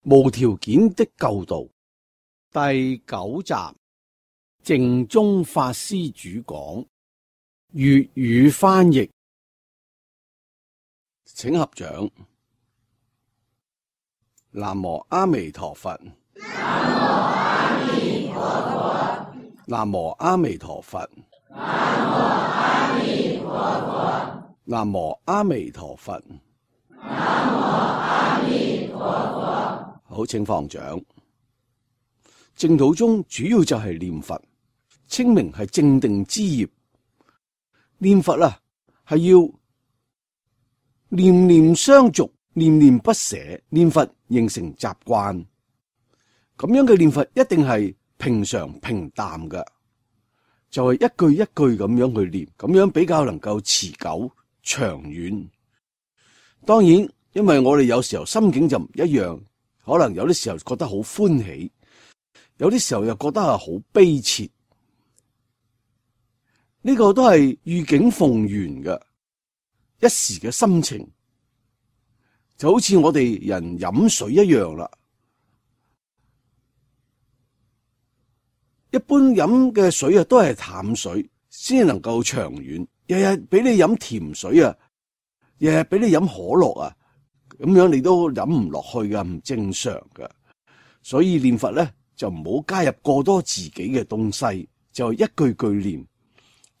無條件的救度第9集，淨宗法師主講，粵語翻譯，請合掌。南無阿彌陀佛。南無阿彌陀佛。南無阿彌陀佛。好，請放掌。淨土宗主要就係念佛，稱名係正定之業。念佛啊，係要念念相續，念念不捨，念佛形成習慣。咁樣嘅念佛一定係平常平淡嘅，就係一句一句咁樣去念，咁樣比較能夠持久長遠。當然，因為我哋有時候心境就唔一樣，可能有啲時候覺得好歡喜，有啲時候又覺得係好悲切。呢個都係遇境逢緣嘅一時嘅心情，就好似我哋人飲水一樣啦。一般飲嘅水啊，都係淡水先能夠長遠。日日俾你飲甜水啊，日日俾你飲可樂啊，咁樣你都飲唔落去噶，唔正常噶。所以念佛咧，就唔好加入過多自己嘅東西，就一句句念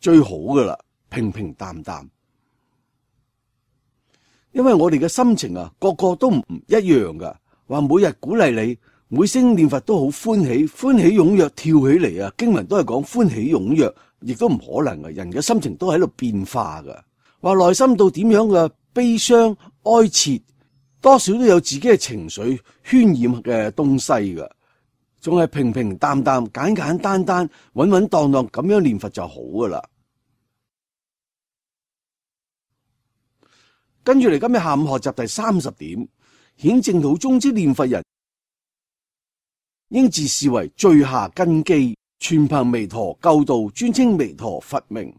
最好噶啦，平平淡淡。因為我哋嘅心情啊，個個都唔一樣噶。話每日鼓勵你，每聲念佛都好歡喜，歡喜踴躍跳起嚟啊！經文都係講歡喜踴躍，亦都唔可能嘅。人嘅心情都喺度變化噶。話內心到點樣嘅悲傷哀切，多少都有自己嘅情緒渲染嘅東西噶。仲係平平淡淡、簡簡單單、穩穩當當咁樣念佛就好噶啦。跟住嚟，今日下午學習第30點，顯淨土宗之念佛人應自視為最下根基，全憑彌陀救度，專稱彌陀佛名。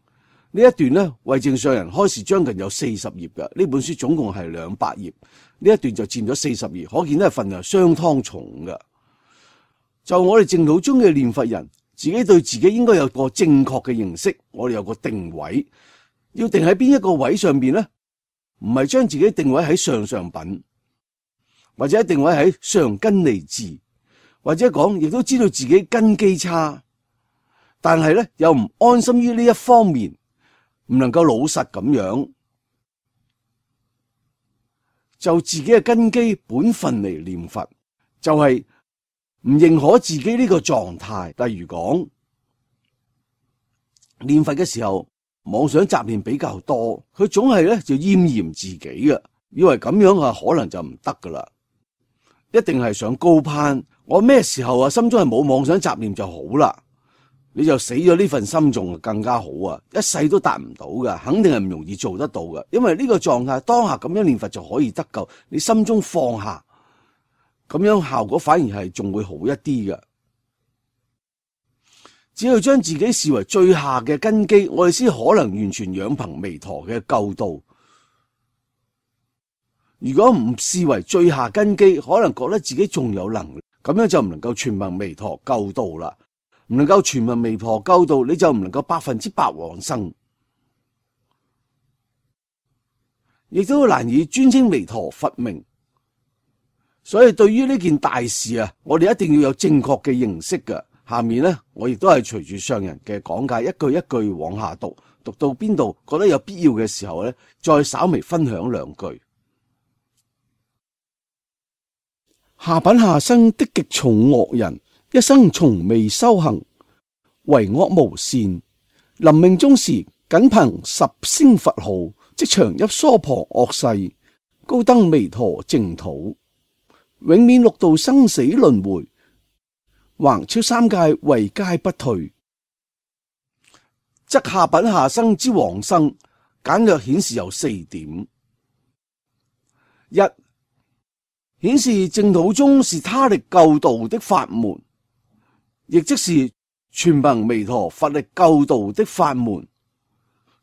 呢一段呢，為淨上人開示將近有40頁嘅，呢本書總共係200頁，呢一段就佔咗40頁，可見呢份量相當重嘅。就我哋淨土宗嘅念佛人，自己對自己應該有個正確嘅認識，我哋有個定位，要定喺邊一個位上邊呢？唔係將自己定位喺上品，或者定位喺上根利智，或者講亦都知道自己根基差，但係咧又唔安心於呢一方面，唔能夠老實咁樣，就自己嘅根基本分嚟念佛，就係唔認可自己呢個狀態。例如講念佛嘅時候，妄想雜念比較多，佢總係咧就厭嫌自己嘅，以為咁樣啊可能就唔得噶啦，一定係想高攀。我咩時候啊心中係冇妄想雜念就好啦，你就死咗呢份心仲更加好啊，一世都達唔到噶，肯定係唔容易做得到噶。因為呢個狀態當下咁樣念佛就可以得救，你心中放下，咁樣效果反而係仲會好一啲嘅。只要將自己視為最下嘅根基，我哋先可能完全仰憑彌陀嘅救度。如果唔視為最下根基，可能覺得自己仲有能力，咁樣就唔能夠全憑彌陀救度啦。唔能夠全憑彌陀救度，你就唔能夠100%往生，亦都難以專稱彌陀佛名。所以對於呢件大事啊，我哋一定要有正確嘅認識㗎。下面呢，我亦都係隨住上人嘅講解，一句一句往下讀，讀到邊度覺得有必要嘅時候呢，再稍微分享2句。下品下生的極重惡人，一生從未修行，為惡無善，臨命終時僅憑10聲佛號，即長入娑婆惡世，高登彌陀淨土，永免六道生死輪迴，橫超3界位階不退。則下品下生之往生，簡略顯示有4點。1、顯示淨土宗是他力救度的法門，亦即是全憑彌陀佛力救度的法門。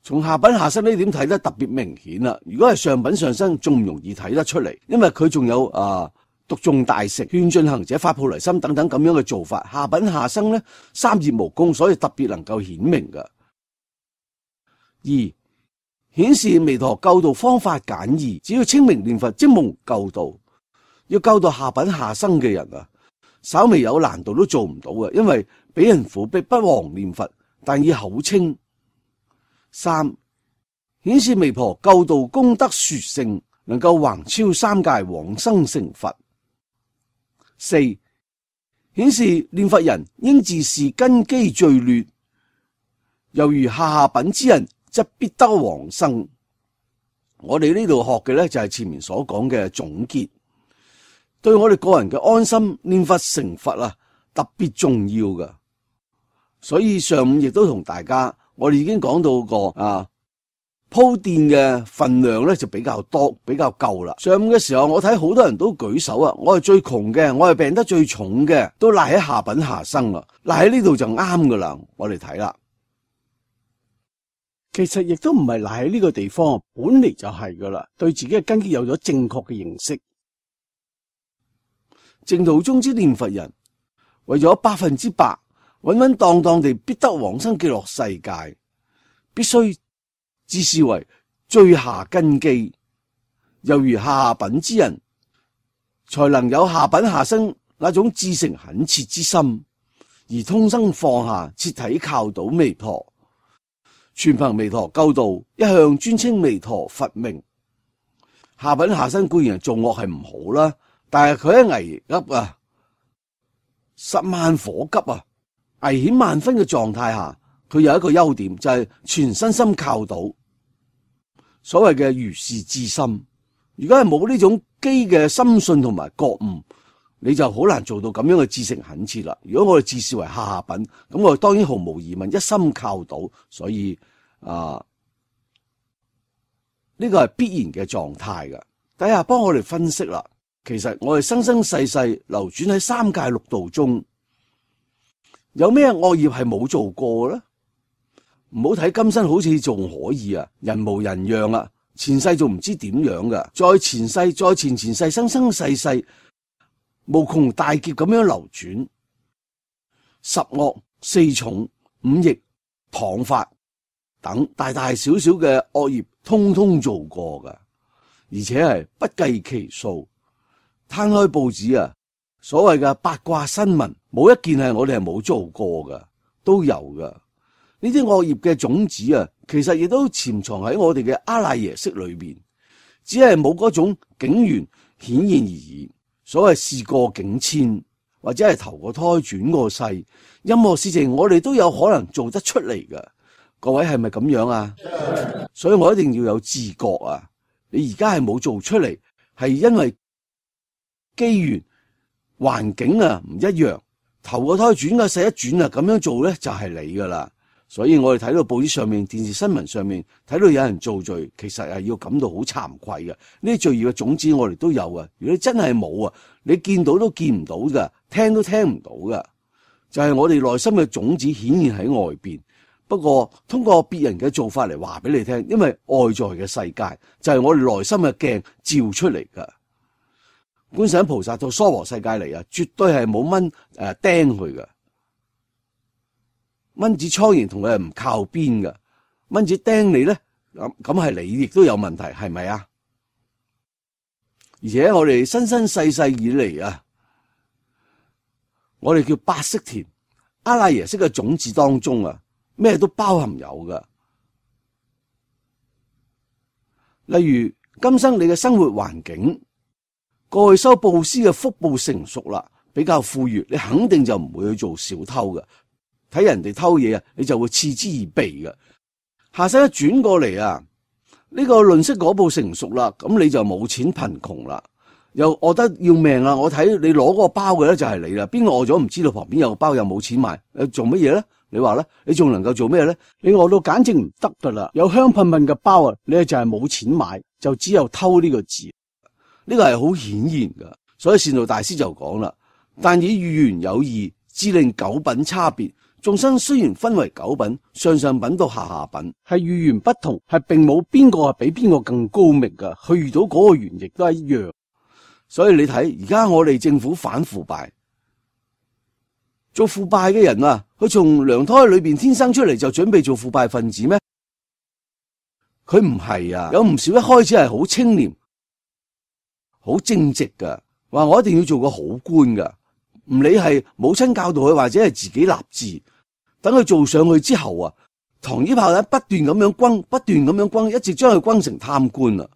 從下品下生呢點睇得特別明顯啦。如果係上品上生，仲唔容易睇得出嚟，因為佢仲有讀誦大乘、勸進行者、發菩提心等等咁樣嘅做法，下品下生呢，三業無功，所以特別能夠顯明嘅。二、顯示彌陀救度方法簡易，只要稱名念佛即蒙救度。要救到下品下生嘅人啊，稍微有難度都做唔到嘅，因為俾人苦逼不忘念佛，但以口稱。三、顯示彌陀救度功德殊勝，能夠橫超三界往生成佛。四、顯示念佛人應自是根基最劣，猶如下品之人則必得往生。我哋呢度學嘅呢，就係前面所講嘅總結，對我哋個人嘅安心念佛成佛啊特別重要㗎。所以上午亦都同大家，我哋已經講到過鋪墊嘅份量咧就比較多，比較夠啦。上午嘅時候，我睇好多人都舉手啊，我係最窮嘅，我係病得最重嘅，都賴喺下品下生啊，賴喺呢度就啱噶啦。我哋睇啦，其實亦都唔係賴喺呢個地方，本嚟就係噶啦，對自己嘅根基有咗正確嘅認識。淨土宗之念佛人，為咗100%穩穩當當地必得往生極樂世界，必須自視為最下根基，猶如下品之人，才能有下品下生那種至誠懇切之心，而通生放下，徹底靠倒彌陀，全憑彌陀救度，一向專稱彌陀佛名。下品下生固然係做惡係唔好啦，但係佢喺危急啊、十萬火急啊、危險萬分嘅狀態下，佢有一個優點，就係全身心靠倒。所謂嘅如是至心，如果係冇呢種基嘅深信同埋覺悟，你就好難做到咁樣嘅至誠懇切啦。如果我哋自視為下品，咁我哋當然毫無疑問一心靠倒，所以呢個係必然嘅狀態噶。等下幫我哋分析啦，其實我哋生生世世流轉喺三界六道中，有咩惡業係冇做過咧？唔好睇今生好似仲可以啊，人模人樣啊，前世仲唔知點樣噶，再前世再前前世，生生世世無窮大劫咁樣流轉，十惡四重五逆謗法等大大小小嘅惡業通通做過噶，而且係不計其數。攤開報紙啊，所謂嘅八卦新聞冇一件係我哋係冇做過噶，都有噶。呢啲惡業嘅種子啊，其實亦都潛藏喺我哋嘅阿賴耶識裏邊，只係冇嗰種境緣顯現而已。所謂事過境遷，或者係投個胎轉個世，任何事情我哋都有可能做得出嚟噶。各位係咪咁樣啊？所以我一定要有自覺啊！你而家係冇做出嚟，係因為機緣環境啊唔一樣，投個胎轉個世一轉啊，咁樣做咧就係你噶啦。所以我哋睇到報紙上面、電視新聞上面睇到有人造罪，其實係要感到好慚愧嘅。呢啲罪業嘅種子我哋都有啊。如果你真係冇啊，你見到都見唔到噶，聽都聽唔到噶，就係我哋內心嘅種子顯現喺外邊。不過通過別人嘅做法嚟話俾你聽，因為外在嘅世界就係我哋內心嘅鏡照出嚟噶。觀世音菩薩到娑婆世界嚟啊，絕對係冇蚊釘佢噶。蚊子蒼蠅同佢係唔靠邊噶，蚊子釘你咧，咁係你亦都有問題，係咪啊？而且我哋生生世世以嚟啊，我哋叫八識田，阿賴耶識嘅種子當中啊，咩都包含有噶。例如今生你嘅生活環境，過去修布施嘅福報成熟啦，比較富裕，你肯定就唔會去做小偷噶。睇人哋偷嘢啊，你就會嗤之以鼻嘅。下世一轉過嚟啊，呢個吝嗇嗰步成熟啦，咁你就冇錢貧窮啦，又餓得要命啦。我睇你攞嗰個包嘅咧就係你啦，邊個餓咗唔知道旁邊有個包又冇錢買，做乜嘢咧？你話咧，你仲能夠做咩咧？你餓到簡直唔得噶啦，有香噴噴嘅包啊，你就係冇錢買，就只有偷呢個字。呢個係好顯然噶，所以善導大師就講啦，但以遇緣有異，致令九品差別。眾生雖然分為九品，上上品到下下品，係遇緣不同，係並冇邊個係比邊個更高明噶。佢遇到嗰個緣亦都係一樣。所以你睇而家我哋政府反腐敗，做腐敗嘅人啊，佢從娘胎裏邊天生出嚟就準備做腐敗分子咩？佢唔係啊，有唔少一開始係好清廉、好正直噶，話我一定要做個好官噶，唔理係母親教導佢或者係自己立志，等佢做上去之後啊，糖衣炮彈不斷咁樣轟，不斷咁樣轟，一直將佢轟成貪官啦。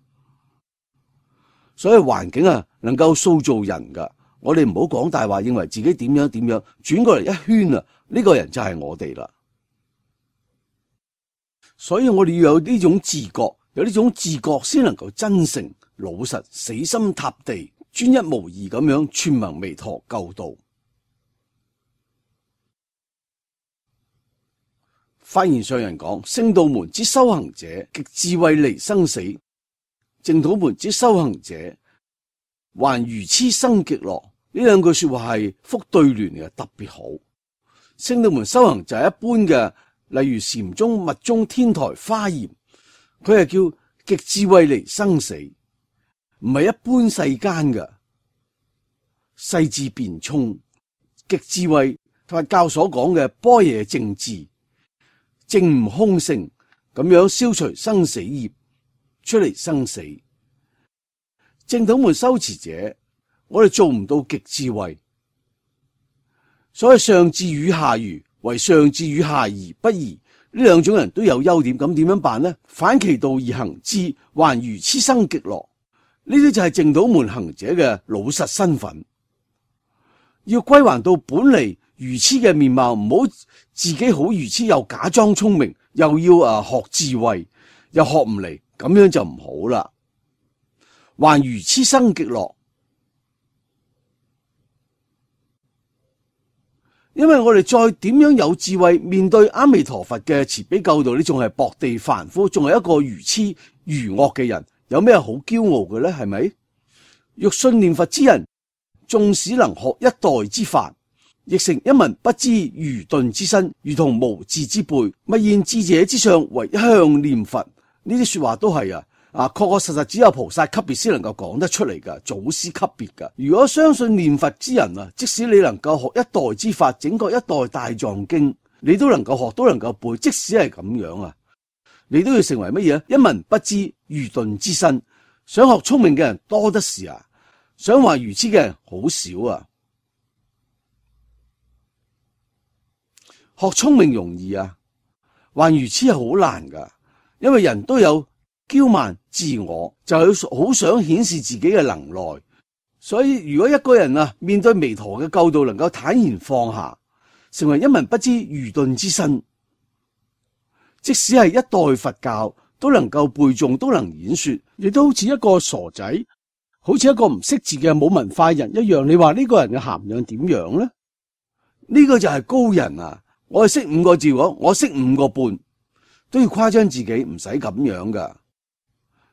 所以環境啊，能夠塑造人噶。我哋唔好講大話，認為自己點樣點樣，轉過嚟一圈啊，呢個人就係我哋啦。所以我哋要有呢種自覺，有呢種自覺先能夠真誠、老實、死心塌地、專一無二咁樣傳聞彌陀救度。發言上人講：聖道門之修行者，極智慧離生死；淨土門之修行者，還愚癡生極樂。呢兩句說話係複對聯嘅，特別好。聖道門修行就係一般嘅，例如禪宗、密宗、天台、華嚴，佢係叫極智慧離生死，唔係一般世間嘅細致辯聰。極智慧佛教所講嘅般若正智，證悟空性，咁樣消除生死業，出嚟生死。淨土門修持者，我哋做唔到極智慧，所以上智與下愚，為上智與下愚不移。呢兩種人都有優點，咁點樣辦呢？反其道而行之，還愚癡生極樂。呢啲就係淨土門行者嘅老實身份，要歸還到本嚟愚癡嘅面貌，唔好自己好愚癡又假裝聰明，又要學智慧，又學唔嚟，咁樣就唔好啦。還愚癡生極樂。因為我哋再點樣有智慧面對阿彌陀佛嘅慈悲救度，你仲係薄地凡夫，仲係一個愚癡愚惡嘅人，有咩好驕傲嘅呢？係咪？欲信念佛之人，縱使能學一代之法，亦成一文不知愚鈍之身，如同無智之輩。勿現智者之相，唯一向念佛。呢啲說話都係確確實實只有菩薩級別先能夠講得出嚟噶，祖師級別噶。如果相信念佛之人啊，即使你能夠學一代之法，整個一代大藏經，你都能夠學，都能夠背。即使係咁樣啊，你都要成為乜嘢？一文不知愚鈍之身。想學聰明嘅人多得是啊，想話愚癡嘅人好少啊。學聰明容易啊，還愚癡係好難噶，因為人都有驕慢自我，就係好想顯示自己嘅能耐。所以如果一個人面對彌陀嘅救度，能夠坦然放下，成為一文不知愚鈍之身，即使係一代佛教都能夠背誦，都能演說，亦都好似一個傻仔，好似一個唔識字嘅冇文化人一樣。你話呢個人嘅涵養點樣呢？呢個就係高人啊！我係識5個字，我識5個半，都要誇張自己，唔使咁樣噶。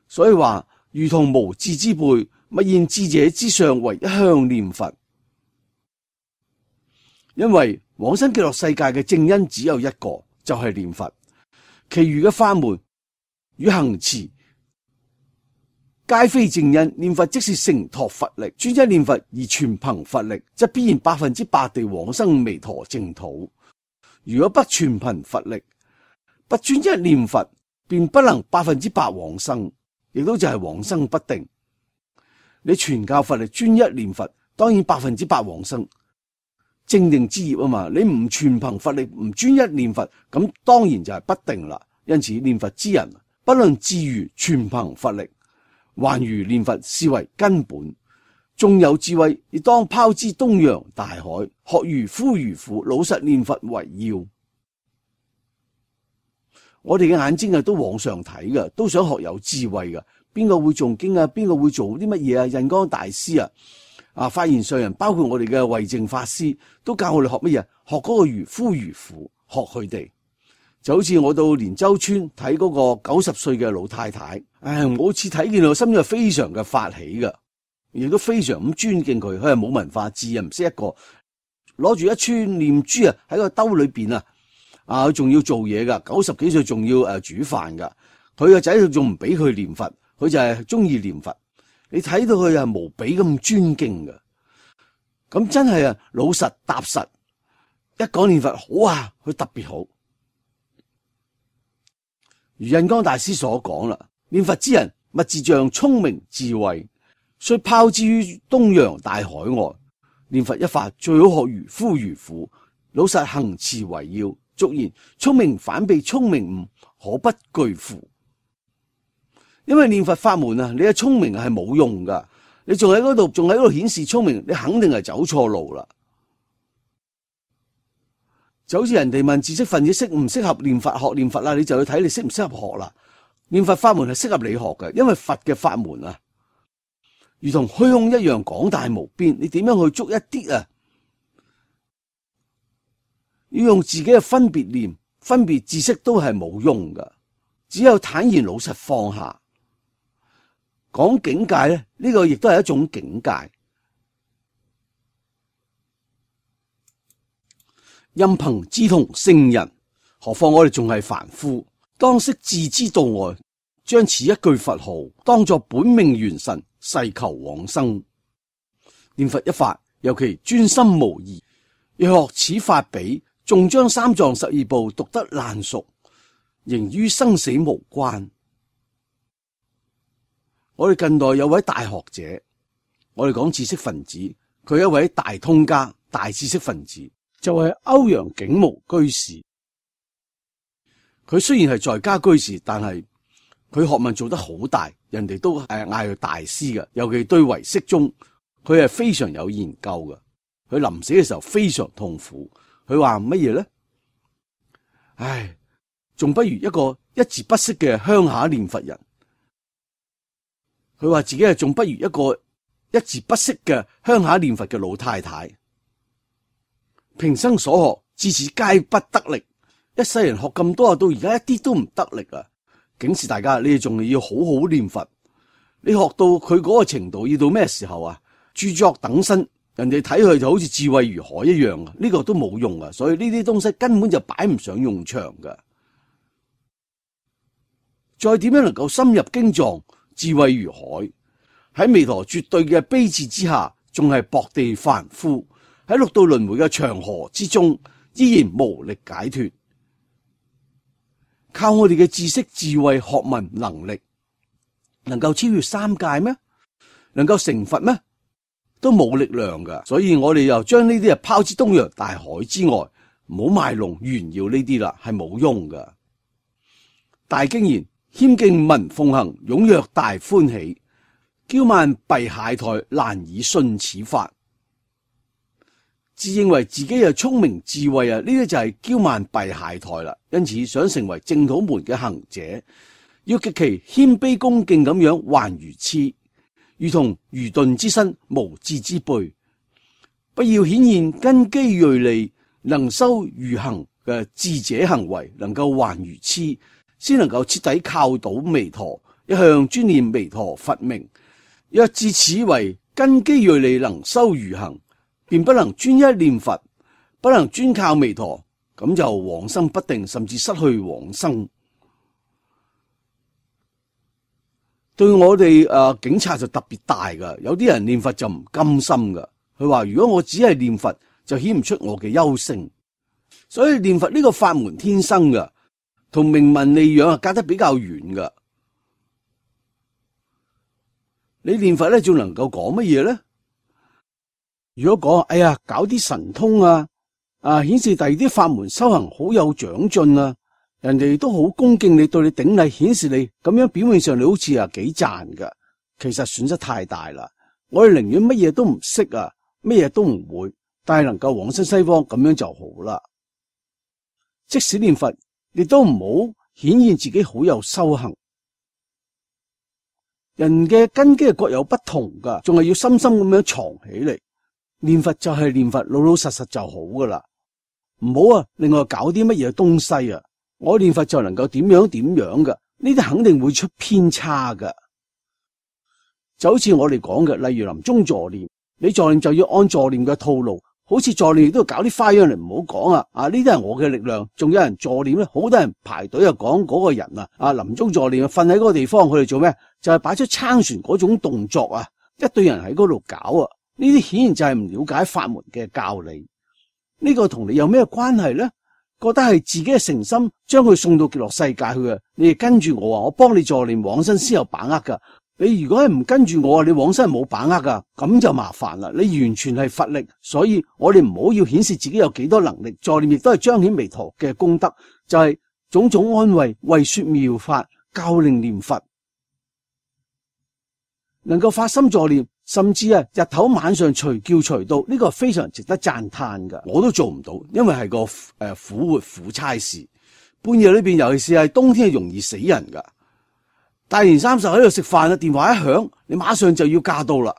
所以話如同無智之輩，勿現智者之相，唯一向念佛。因為往生極樂世界嘅正因只有一個，就係念佛，其餘嘅法門與行持皆非正因。念佛即是承托佛力，專一念佛而全憑佛力，則必然100%地往生彌陀淨土。如果不全憑佛力，不專一念佛，便不能100%往生，亦都就係往生不定。你全靠佛力專一念佛，當然100%往生，正定之業啊嘛。你唔全憑佛力，唔專一念佛，咁當然就係不定啦。因此念佛之人，不論智愚，全憑佛力，還如念佛是為根本。縱有智慧，亦當拋之東洋大海，學漁夫漁父，老實念佛為要。我哋嘅眼睛都往上睇噶，都想學有智慧噶。邊個會誦經啊？邊個會做啲乜嘢啊？印光大師發言上人，包括我哋嘅慧淨法師，都教我哋學乜嘢？學嗰個漁夫漁父，學佢哋。就好似我到連州村睇嗰個90歲嘅老太太，我好似睇見我心裏非常嘅發起噶，亦都非常咁尊敬佢。佢係冇文化字，唔識一個，攞住一串念珠喺個兜裏邊佢仲要做嘢噶，90幾歲仲要煮飯噶。佢個仔仲唔俾佢念佛，佢就係中意念佛。你睇到佢係無比咁尊敬嘅。咁真係啊，老實踏實，一講念佛好啊，佢特別好。如印光大師所講啦，念佛之人物自像聰明智慧，雖拋之於東洋大海外。念佛一法最好學如夫如婦，老實行持為要。俗言聰明反被聰明誤，可不懼乎？因為念佛法門啊，你嘅聰明係冇用噶，你仲喺嗰度顯示聰明，你肯定係走錯路啦。就好似人哋問知識分子適唔適合念佛學念佛啦，你就去睇你適唔適合學啦。念佛法門係適合你學嘅，因為佛嘅法門啊，如同虛空一樣廣大無邊，你點樣去捉一啲啊？要用自己嘅分別念、分別知識都係冇用噶，只有坦然老實放下。講境界咧，呢個亦都係一種境界。任憑志同聖人，何況我哋仲係凡夫，當識自知度外，將此一句佛號當作本命元神，誓求往生。念佛一法，尤其專心無疑。若學此法比，縱將三藏十二部讀得爛熟，仍於生死無關。我哋近代有位大學者，我哋講知識分子，佢係一位大通家、大知識分子，就係歐陽竟無居士。佢雖然係在家居士，但係佢學問做得好大，人哋都嗌佢大師嘅。尤其對唯識宗，佢係非常有研究嘅。佢臨死嘅時候非常痛苦。佢話乜嘢咧？唉，仲不如一個一字不識嘅鄉下念佛人。佢話自己係仲不如一個一字不識嘅鄉下念佛嘅老太太。平生所學至此皆不得力，一世人學咁多，到而家一啲都唔得力啊！警示大家，你哋仲要好好念佛。你學到佢嗰個程度，要到咩時候啊？著作等身。人哋睇佢就好似智慧如海一樣啊！呢個都冇用啊，所以呢啲東西根本就擺唔上用場噶。再點樣能夠深入經藏，智慧如海，喺彌陀絕對嘅悲智之下，仲係薄地凡夫，喺六道輪迴嘅長河之中，依然無力解脫。靠我哋嘅知識、智慧、學問、能力，能夠超越三界咩？能夠成佛咩？都冇力量噶，所以我哋又將呢啲拋之東洋大海之外，唔好賣弄炫耀呢啲啦，係冇用噶。大經言：謙敬聞奉行，踴躍大歡喜；驕慢弊懈怠，難以信此法。自認為自己係聰明智慧啊，呢啲就係驕慢弊懈怠啦。因此想成為淨土門嘅行者，要極其謙卑恭敬咁樣還如痴。如同愚鈍之身，無智之輩，不要顯現根基銳利、能修如行嘅智者行為，能夠還如痴，先能夠徹底靠倒彌陀，一向專念彌陀佛名。若自此為根基銳利、能修如行，便不能專一念佛，不能專靠彌陀，咁就往生不定，甚至失去往生。對我哋警察就特別大噶，有啲人念佛就唔甘心噶。佢話如果我只係念佛，就顯唔出我嘅優勝。所以念佛呢個法門天生噶，同名聞利養隔得比較遠噶。你念佛咧，仲能夠講乜嘢咧？如果講，哎呀，搞啲神通顯示第二啲法門修行好有長進啊！人哋都好恭敬你，對你頂禮，顯示你咁樣表面上你好似幾賺噶，其實損失太大啦。我哋寧願乜嘢都唔識乜嘢都唔會，但係能夠往生西方咁樣就好啦。即使念佛，亦都唔好顯現自己好有修行。人嘅根基係各有不同噶，仲係要深深咁樣藏起嚟。念佛就係念佛，老老實實就好噶啦。唔好另外搞啲乜嘢東西啊！我念佛就能夠點樣點樣噶，呢啲肯定會出偏差噶。就好似我哋講嘅，例如臨終助念，你助念就要按助念嘅套路，好似助念亦都要搞啲花樣嚟，唔好講啊！呢啲係我嘅力量，仲有人助念咧，好多人排隊啊，講嗰個人臨終助念瞓喺嗰個地方，佢哋做咩？就係擺出撐船嗰種動作啊！一堆人喺嗰度搞啊！呢啲顯然就係唔了解法門嘅教理。呢個同你有咩關係呢？覺得係自己嘅誠心將佢送到極樂世界去啊！你哋跟住我啊，我幫你助念往生先有把握噶。你如果係唔跟住我啊，你往生係冇把握噶，咁就麻煩啦。你完全係佛力，所以我哋唔好要顯示自己有幾多能力。助念亦都係彰顯彌陀嘅功德，就係種種安慰，為說妙法，教令念佛，能夠發心助念，甚至日頭晚上隨叫隨到，呢個係非常值得讚嘆噶。我都做唔到，因為係個苦活苦差事。半夜裏邊，尤其是係冬天，係容易死人噶。大年30喺度食飯啊，電話一響，你馬上就要駕到啦。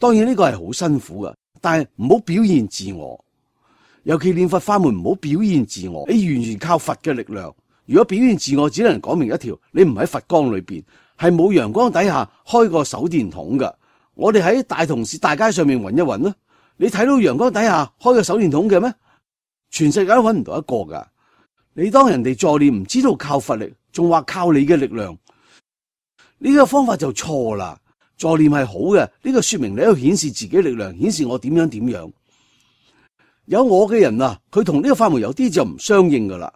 當然呢個係好辛苦噶，但係唔好表現自我，尤其念佛法門唔好表現自我。你完全靠佛嘅力量。如果表現自我，只能講明一條：你唔喺佛光裏邊，係冇陽光底下開個手電筒噶。我哋喺大同市大街上面揾一揾啦，你睇到陽光底下開個手電筒嘅咩？全世界都揾唔到一個噶。你當人哋助念唔知道靠佛力，仲話靠你嘅力量，呢個方法就錯啦。助念係好嘅，呢個說明你喺度顯示自己力量，顯示我點樣點樣。有我嘅人啊，佢同呢個法門有啲就唔相應噶啦。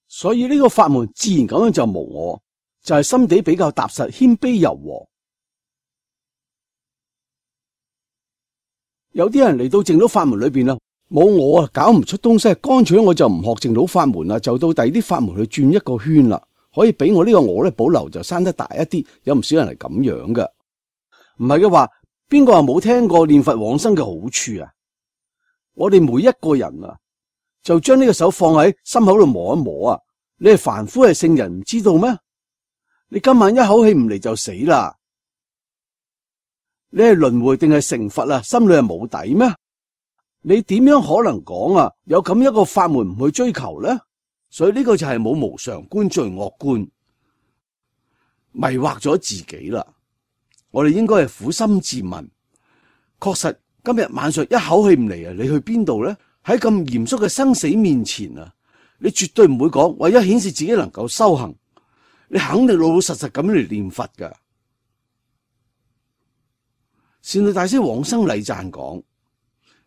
所以呢個法門自然咁樣就無我，就係心地比較踏實、謙卑柔和。有啲人嚟到淨土法門裏邊啦，冇我啊，搞唔出東西，乾脆我就唔學淨土法門啦，就到第二啲法門去轉一個圈啦。可以俾我呢個我咧保留就生得大一啲，有唔少人係咁樣噶。唔係嘅話，邊個話冇聽過念佛往生嘅好處啊？我哋每一個人啊，就將呢個手放喺心口度摸一摸啊。你係凡夫係聖人唔知道咩？你今晚一口氣唔嚟就死啦。你係輪迴定係成佛啊？心裏係冇底咩？你點樣可能講啊？有咁一個法門唔去追求呢？所以呢個就係冇無常觀、罪惡觀，迷惑咗自己啦。我哋應該係苦心自問，確實今日晚上一口氣唔嚟啊，你去邊度呢？喺咁嚴肅嘅生死面前啊，你絕對唔會講為咗顯示自己能夠修行，你肯定老老實實咁嚟念佛噶。善導大師往生禮讚講：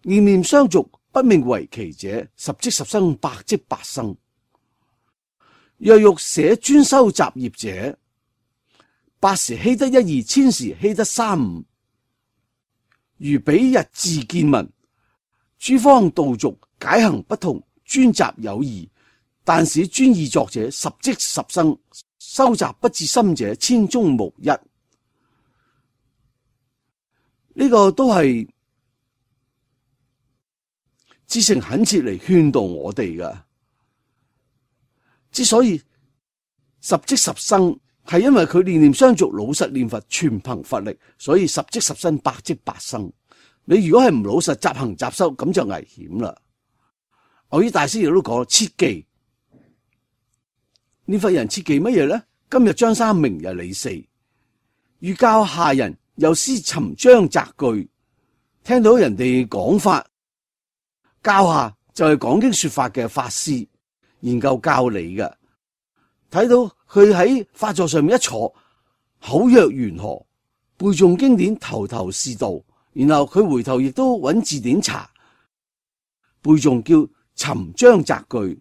念念相續，不命為期者，十即十生，百即百生。若欲捨專修雜業者，百時希得一二，千時希得三五。如彼日自見聞，諸方道續解行不同，專雜有異。但使專意作者，十即十生，修習不至深者，千中無一。呢個都係至誠懇切嚟勸導我哋噶。之所以十即十生，係因為佢念念相續，老實念佛，全憑佛力，所以十即十生，百即百生。你如果係唔老實，雜行雜修，咁就危險啦。牛爾大師亦都講，切記念佛人切記乜嘢咧？今日張三，明日李四，欲教下人，又思尋章摘句。聽到人哋講法，教下就係講經說法嘅法師。研究教理嘅，睇到佢喺法座上面一坐，口若懸河，背誦經典，頭頭是道。然後佢回頭亦都揾字典查背誦，叫尋章摘句。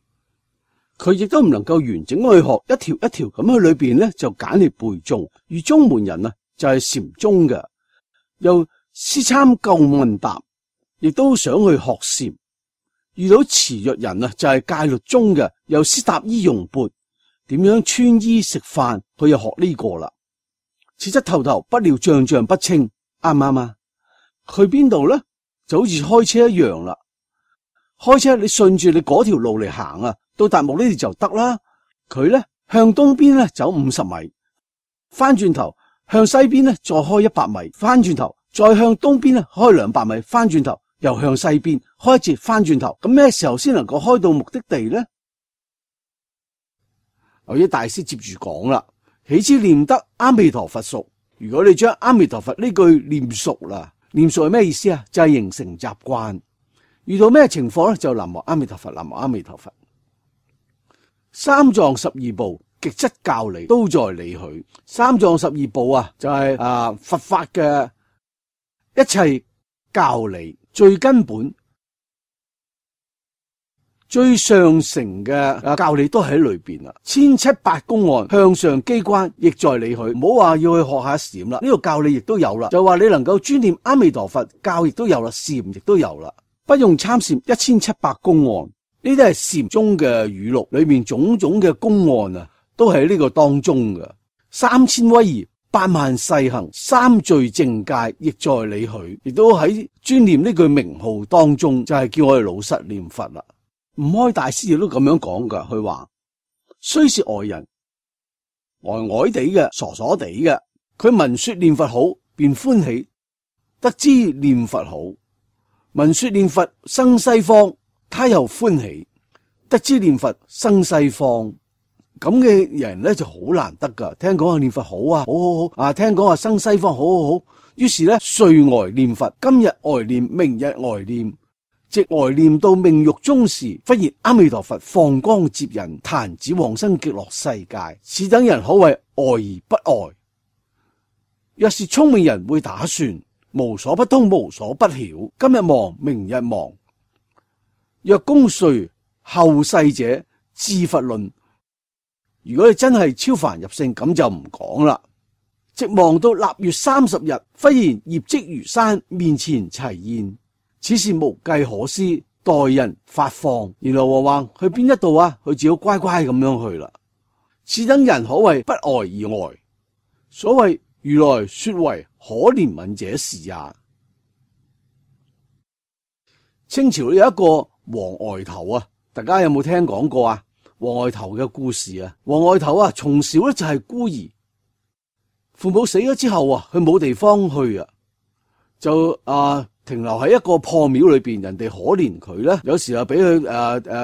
佢亦都唔能夠完整去學，一條一條咁喺裏邊咧就揀嚟背誦。而中門人啊，就係禪宗嘅，又思參究問答，亦都想去學禪。遇到慈若人啊，就係戒律宗嘅，又思答衣用缽，點樣穿衣食飯，佢又學呢個啦。此則頭頭，不料樣樣不清，啱唔啱啊？去邊度咧？就好似開車一樣啦。開車你順住你嗰條路嚟行啊，到達目的地就得啦。佢咧向東邊咧走50米，翻轉頭向西邊咧再開100米，翻轉頭再向東邊咧開200米，翻轉頭又向西邊開一節，翻轉頭。咁咩時候先能夠開到目的地咧？牛爾大師接住講啦，豈知念得阿彌陀佛熟。如果你將阿彌陀佛呢句念熟啦，念熟係咩意思啊？就係形成習慣，遇到咩情況咧就南無阿彌陀佛，南無阿彌陀佛。三藏十二部極質教理都在理許。三藏十二部啊，就係佛法嘅一切教理，最根本、最上乘嘅教理都喺裏邊啦。千七百公案向上機關亦在理許。唔好話要去學下禪啦，呢個教理亦都有啦。就話你能夠專念阿彌陀佛，教亦都有啦，禪亦都有啦。不用參禪1700公案，呢啲係禪宗嘅語錄裏面種種嘅公案啊，都喺呢個當中嘅。3000威儀、8萬細行、三聚淨戒亦在理許，亦都喺專念呢句名號當中，就係叫我哋老實念佛啦。悟開大師亦都咁樣講噶，佢話雖是外人，呆呆地嘅、傻傻地嘅，佢聞說念佛好，便歡喜，得知念佛好；聞說念佛生西方，他又歡喜，得知念佛生西方。咁嘅人咧就好難得噶。聽講啊念佛好啊，好好好啊，聽講啊生西方好好好，於是咧睡呆念佛，今日呆念，明日呆念。直呆念到命欲終時，忽然阿彌陀佛放光接引，彈指往生極樂世界。此等人可謂呆而不呆。若是聰明人會打算，無所不通，無所不曉，今日忘，明日忘。若功遂後世者，智佛論。如果你真係超凡入聖，咁就唔講啦。直望到臘月30日，忽然業績如山，面前齊現。此事無計可施，待人發放。然後話去邊一度啊？佢只好乖乖咁樣去啦。此等人可謂不呆而呆。所謂如來說為可憐憫者是也。清朝有一個王呆頭啊，大家有冇聽講過啊？王呆頭嘅故事啊，王呆頭啊，從小咧就係孤兒，父母死咗之後啊，佢冇地方去啊，就停留喺一個破廟裏邊，人哋可憐佢咧，有時候俾佢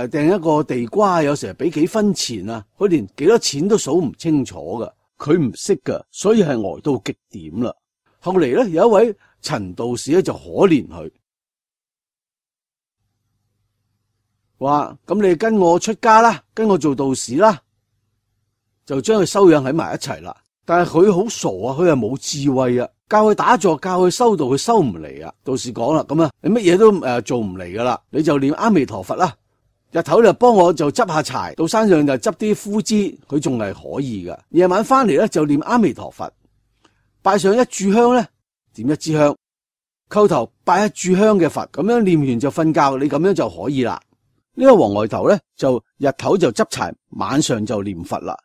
掟一個地瓜，有時候俾幾分錢啊，佢連幾多錢都數唔清楚噶，佢唔識噶，所以係呆到極點啦。後嚟咧有一位陳道士咧就可憐佢，話咁你跟我出家啦，跟我做道士啦，就將佢收養喺埋一齊啦。但係佢好傻啊，佢係冇智慧啊。教佢打坐，教佢修道，佢收唔嚟啊！道士講啦，咁啊，你乜嘢都做唔嚟噶啦，你就念阿彌陀佛啦。日頭就幫我就執下柴，到山上就執啲枯枝，佢仲係可以噶。夜晚翻嚟咧就念阿彌陀佛，拜上一炷香咧，點一支香，叩頭拜一炷香嘅佛，咁樣念完就瞓覺，你咁樣就可以啦。呢個王呆頭咧就日頭就執柴，晚上就念佛啦。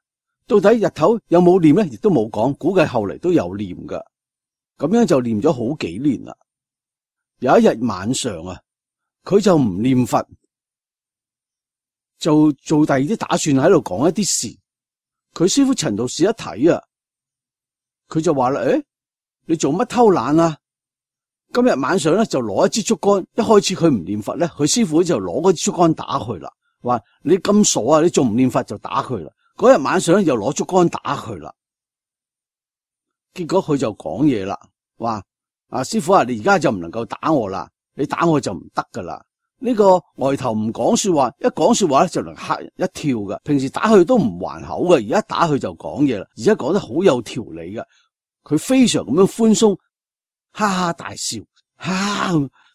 到底日頭有冇念咧，亦都冇講，估計後嚟都有念噶。咁樣就念咗好幾年啦。有一日晚上啊，佢就唔念佛，就做第二啲打算，喺度講一啲事。佢師父陳道士一睇啊，佢就話啦：誒，你做乜偷懶啊？今日晚上咧就攞一支竹竿，一開始佢唔念佛咧，佢師父就攞嗰支竹竿打佢啦。話你咁傻啊，你仲唔念佛就打佢啦。嗰日晚上咧又攞竹竿打佢啦。結果佢就講嘢啦，話師父啊，你而家就唔能夠打我啦，你打我就唔得噶啦。呢個呆頭唔講說話，一講說話咧就能嚇人一跳噶。平時打佢都唔還口嘅，而家打佢就講嘢啦，而且講得好有條理嘅。佢非常咁樣寬鬆，哈哈大笑。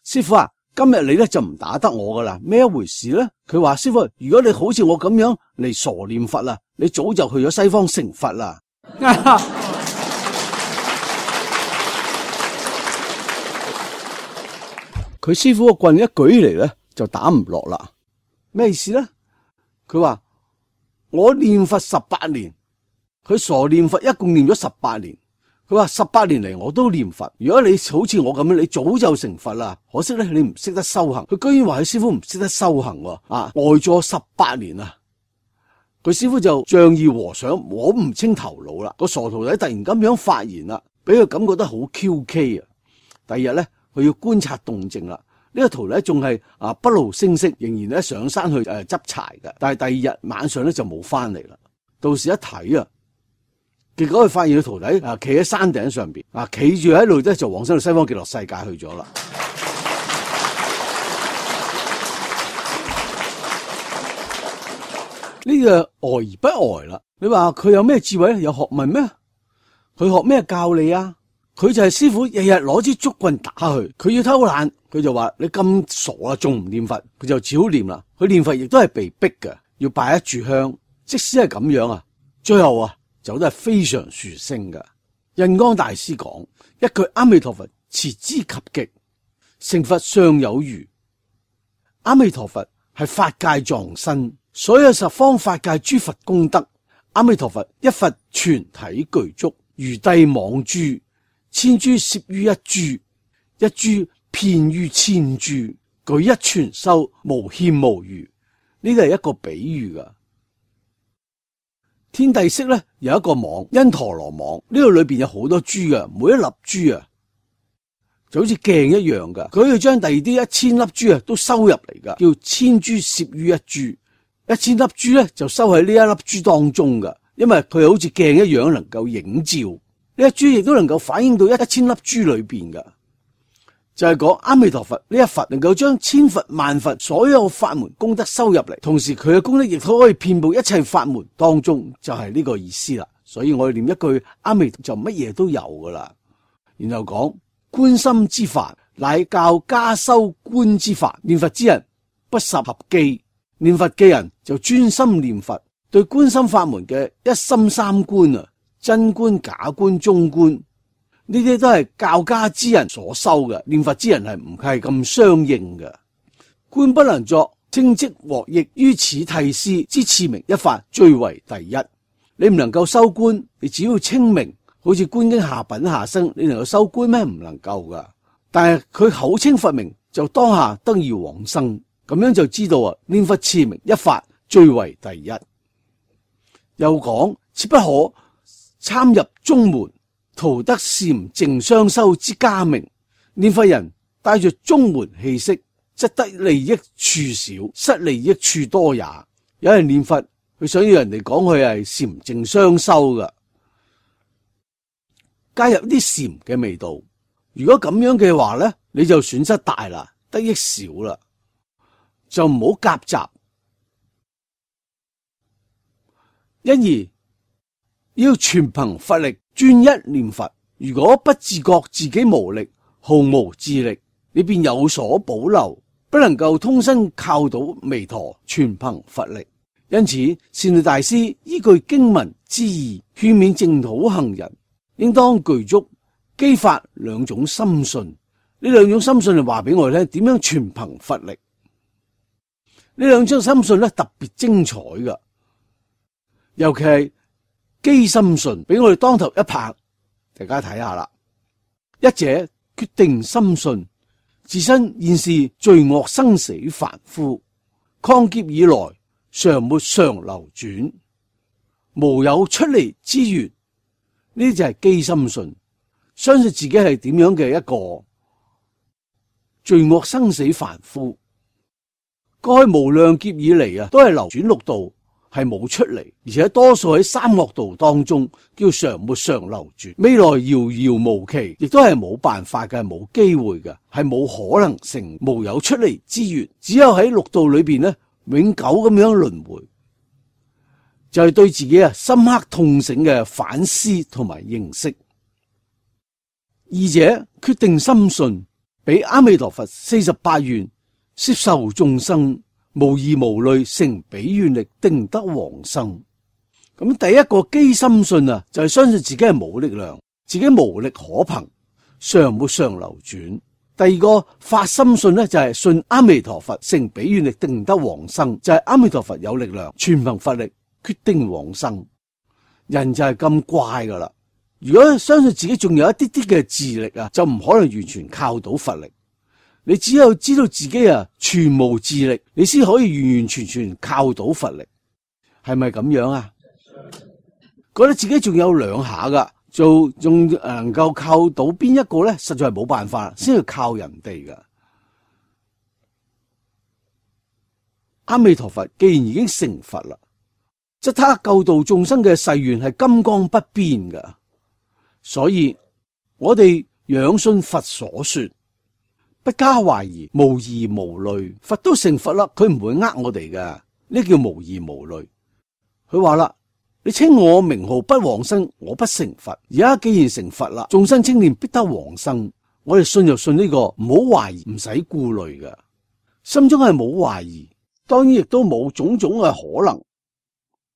師父啊，今日你咧就唔打得我噶啦，咩一回事咧？佢話師父，如果你好似我咁樣嚟傻念佛啦，你早就去咗西方成佛啦。佢師父個棍一舉嚟咧，就打唔落啦。咩意思咧？佢話我念佛18年，佢傻念佛一共念咗18年。佢話18年嚟我都念佛。如果你好似我咁樣，你早就成佛啦。可惜咧，你唔識得修行。佢居然話佢師父唔識得修行喎。呆咗18年啊！佢師父就仗義和尚摸唔清頭腦啦。個傻徒弟突然咁樣發言啦，俾佢感覺得好 QK 啊！第二日咧，佢要觀察動靜啦。呢個徒弟仲係不露聲色，仍然咧上山去執柴嘅。但係第二日晚上咧就冇翻嚟啦。道士一睇啊，結果佢發現佢徒弟企喺山頂上邊企住喺度咧，就往生到西方極樂世界去咗啦。呢個呆而不呆啦。你話佢有咩智慧咧？有學問咩？佢學咩教你啊？佢就係師傅，日日攞支竹棍打佢。佢要偷懶，佢就話你咁傻啊，仲唔念佛？佢就只好念啦。佢念佛亦都係被逼嘅，要拜一炷香。即使係咁樣啊，最後走得係非常殊勝嘅。印光大師講一句阿彌陀佛，持之及極，成佛尚有餘。阿彌陀佛係法界藏身，所有十方法界諸佛功德，阿彌陀佛一佛全體具足，如帝網珠，千珠攝於一珠，一珠遍於千珠，舉一全收，無欠無餘。呢個係一個比喻噶。天帝釋咧有一個網，因陀羅網，呢度裏邊有好多珠噶，每一粒珠就好似鏡一樣噶。佢要將第二啲1000粒珠都收入嚟噶，叫千珠攝於一珠。1000粒珠咧就收喺呢一粒珠當中噶，因為佢好似鏡一樣能夠映照。呢一珠亦都能夠反映到1000粒珠裏邊噶。就係講阿彌陀佛呢一佛能夠將千佛萬佛所有法門功德收入嚟，同時佢嘅功德亦都可以遍布一切法門當中，就係呢個意思啦。所以我哋念一句阿彌陀就乜嘢都有噶啦。然後講觀心之法，乃教加修觀之法。念佛之人不十合機，念佛嘅人就專心念佛，對觀心法門嘅一心三觀真觀、假觀、中觀。呢啲都係教家之人所修嘅，念佛之人係唔係咁相應嘅。觀不能作，稱即獲益，於此諦師之次名一法最為第一。你唔能夠修觀，你只要稱名，好似觀經下品下生，你能夠修觀咩？唔能夠噶。但係佢口稱佛名，就當下得以往生，咁樣就知道念佛次名一法最為第一。又講切不可參入宗門，圖得禪淨雙修之家名。念佛人帶着宗門氣息，則得利益處少，失利益處多也。有人念佛，佢想要人哋講佢係禪淨雙修噶，加入啲禪嘅味道。如果咁樣嘅話咧，你就損失大啦，得益少啦，就唔好夾雜。因而要全憑佛力專一念佛。如果不自覺自己無力，毫無智力，你便有所保留，不能夠通身靠到彌陀，全憑佛力。因此善導大師依據經文之義，勸勉淨土行人應當具足基法兩種心信。呢兩種心信就話俾我哋聽，點樣全憑佛力。呢兩種心信咧特別精彩噶，尤其係機心信，俾我哋當頭一拍。大家睇下啦，一者決定心信，自身現是罪惡生死凡夫，曠劫以來常沒常流轉，無有出離之緣。呢啲就係機心信，相信自己係點樣嘅一個罪惡生死凡夫，過去無量劫以嚟都係流轉六道，係冇出嚟，而且多數喺三惡道當中，叫常沒常流轉。未來遙遙無期，亦都係冇辦法嘅，係冇機會嘅，係冇可能性，無有出離之緣。只有喺六道裏邊永久咁樣輪迴，就係對自己深刻痛醒嘅反思同埋認識。二者決定心信，俾阿彌陀佛48願攝受眾生，無疑無慮，成比願力，定得往生。咁第一個機心信就係相信自己係冇力量，自己無力可憑，常沒常流轉。第二個發心信就係信阿彌陀佛成比願力，定得往生，就係阿彌陀佛有力量，全憑佛力決定往生。人就係咁怪噶啦，如果相信自己仲有一啲啲嘅智力就唔可能完全靠到佛力。你只有知道自己全無智力，你先可以完完全全靠到佛力，係咪咁樣啊？覺得自己仲有兩下噶，仲能夠靠到邊一個咧？實在係冇辦法，先要靠人哋噶。阿彌陀佛既然已經成佛啦，則他救度眾生嘅誓願係金剛不變嘅。所以我哋仰信佛所說，不加懷疑，無疑無慮。佛都成佛啦，佢唔會呃我哋嘅，呢叫無疑無慮。佢話啦，你稱我名號不往生，我不成佛。而家既然成佛啦，眾生稱念必得往生。我哋信就信呢個，唔好懷疑，唔使顧慮嘅，心中係冇懷疑，當然亦都冇種種嘅可能，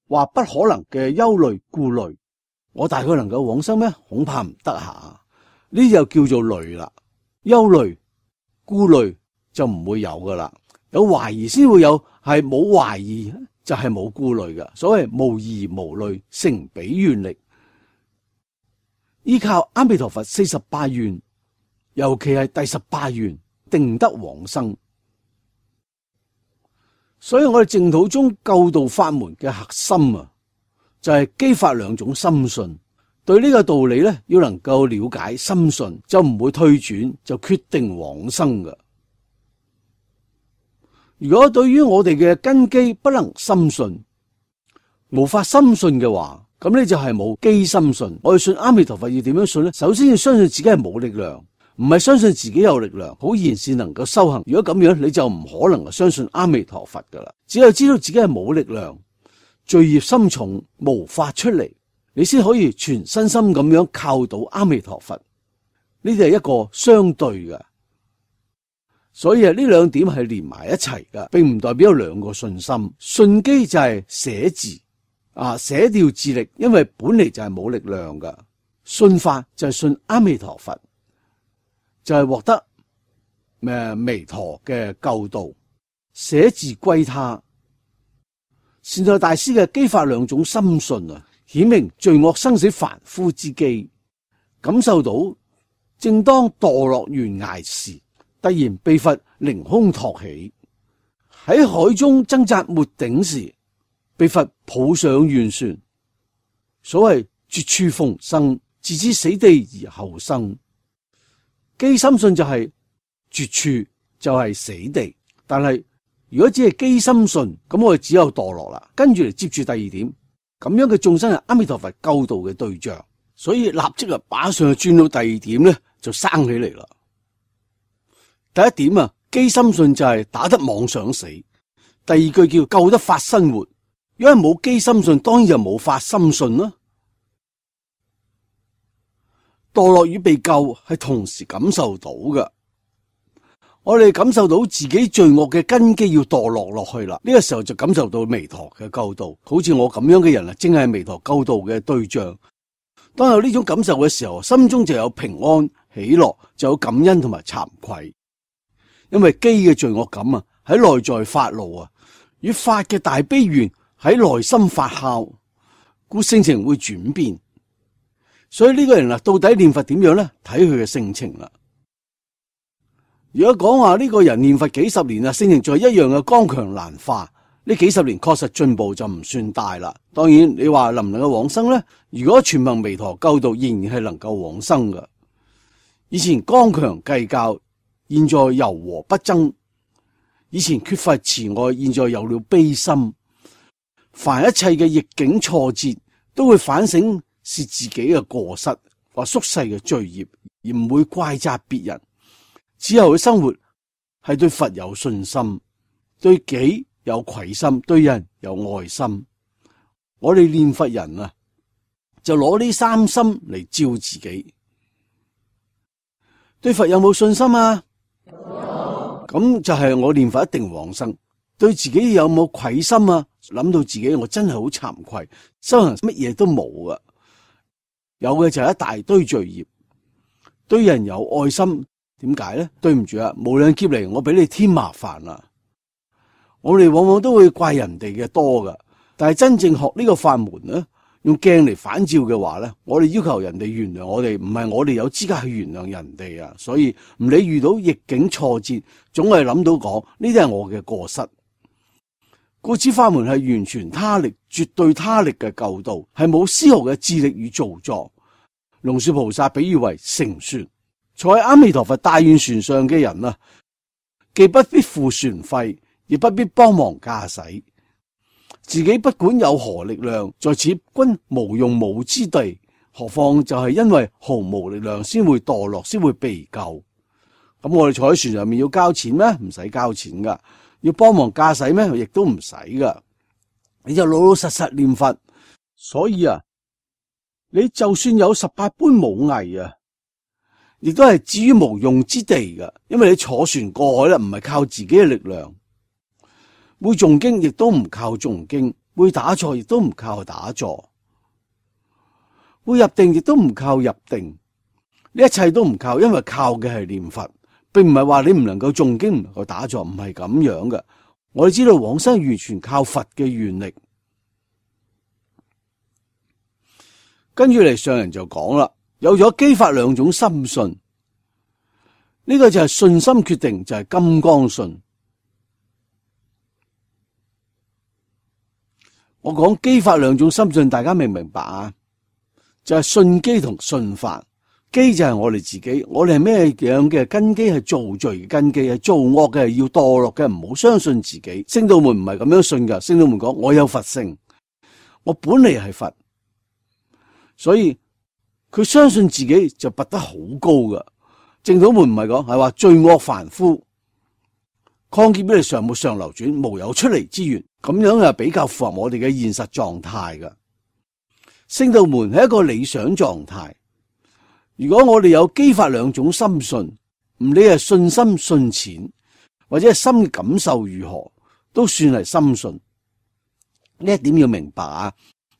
話不可能嘅憂慮顧慮。我大概能夠往生咩？恐怕唔得下，呢就叫做慮啦。憂慮顧慮就唔會有噶啦，有懷疑先會有，係冇懷疑就係冇顧慮嘅。所謂無疑無慮，成彼願力，依靠阿彌陀佛48願，尤其係第18願，定得往生。所以我哋淨土宗救度法門嘅核心啊，就係基法兩種深信。對呢個道理咧，要能夠了解深信，就唔會退轉，就決定往生嘅。如果對於我哋嘅根基不能深信，無法深信嘅話，咁呢就係冇基深信。我哋信阿彌陀佛要點樣信呢？首先要相信自己係冇力量，唔係相信自己有力量，好然先能夠修行。如果咁樣，你就唔可能相信阿彌陀佛噶啦。只有知道自己係冇力量，罪孽深重，無法出嚟，你先可以全身心咁樣靠到阿彌陀佛。呢啲係一個相對嘅，所以呢兩點係連埋一齊嘅，並唔代表有兩個信心。信機就係捨自捨掉自力，因為本嚟就係冇力量噶。信法就係信阿彌陀佛，就係獲得彌陀嘅救度，捨自歸他。善財大師嘅基法兩種深信啊，顯明罪惡生死凡夫之機，感受到正當墮落懸崖時，突然被佛凌空托起，喺海中掙扎沒頂時，被佛抱上圓船。所謂絕處逢生，自知死地而後生。基深信就係絕處，就係死地。但係如果只係基深信，咁我哋只有墮落啦。跟住嚟接住第二點，咁樣嘅眾生係阿彌陀佛救度嘅對象，所以立即啊馬上就轉到第二點咧，就生起嚟啦。第一點啊，基深信就係打得妄想死。第二句叫救得法身活。如果冇基深信，當然就冇法深信啦。墮落與被救係同時感受到嘅。我哋感受到自己罪惡嘅根基要墮落落去啦，呢個時候就感受到彌陀嘅救度。好似我咁樣嘅人啊，正係彌陀救度嘅對象。當有呢種感受嘅時候，心中就有平安喜樂，就有感恩同埋慚愧。因為基嘅罪惡感啊，喺內在發怒啊，與法嘅大悲願喺內心發酵，故性情會轉變。所以呢個人啊，到底念佛點樣咧？睇佢嘅性情啦。如果講話呢個人念佛幾十年啊，性情仲係一樣嘅剛強難化，呢幾十年確實進步就唔算大啦。當然你話能唔能夠往生咧？如果全憑彌陀救度，仍然係能夠往生嘅。以前剛強計較，現在柔和不爭；以前缺乏慈愛，現在有了悲心。凡一切嘅逆境挫折，都會反省是自己嘅過失或宿世嘅罪孽，而唔會怪責別人。之後嘅生活係對佛有信心，對己有愧心，對人有愛心。我哋念佛人啊，就攞呢三心嚟照自己。對佛有冇信心啊？咁就係我念佛一定往生。對自己有冇愧心啊？諗到自己我真係好慚愧，修行乜嘢都冇啊，有嘅就係一大堆罪孽。對人有愛心，點解咧？對唔住啊，無量劫嚟我俾你添麻煩啦。我哋往往都會怪人哋嘅多噶，但係真正學呢個法門咧，用鏡嚟反照嘅話咧，我哋要求人哋原諒我哋，唔係我哋有資格去原諒人哋啊。所以唔理遇到逆境挫折，總係諗到講呢啲係我嘅過失。故此法門係完全他力、絕對他力嘅救度，係冇絲毫嘅智力與造作。龍樹菩薩比喻為乘船，坐喺阿彌陀佛大願船上嘅人啊，既不必付船費，亦不必幫忙駕駛，自己不管有何力量，在此均無用武之地，何況就係因為毫無力量先會墮落，先會被救。咁我哋坐喺船上面要交錢咩？唔使交錢噶。要幫忙駕駛咩？亦都唔使噶。你就老老實實念佛。所以啊，你就算有18般武藝啊，亦都係置於無用之地噶。因為你坐船過海啦，唔係靠自己嘅力量。會誦經亦都唔靠誦經，會打坐亦都唔靠打坐，會入定亦都唔靠入定。呢一切都唔靠，因為靠嘅係念佛，並唔係話你唔能夠誦經，唔能夠打坐，唔係咁樣嘅。我哋知道往生完全靠佛嘅願力。跟住嚟上人就講啦，有咗基法兩種心信，呢個就係信心決定，就係金剛信。我講基法兩種心信，大家明唔明白啊？就係信機同信法。機就係我哋自己，我哋係咩樣嘅根基？係造罪嘅根基，係造惡嘅，係要墮落嘅，唔好相信自己。聖道門唔係咁樣信噶，聖道門講我有佛性，我本嚟係佛，所以佢相信自己就拔得好高噶。正道門唔係講，係話罪惡凡夫，曠劫俾你常沒常流轉，無有出離之源，咁樣係比較符合我哋嘅現實狀態噶。聖道門係一個理想狀態。如果我哋有基法兩種心信，唔理係信心信淺，或者係心嘅感受如何，都算係心信。呢一點要明白啊！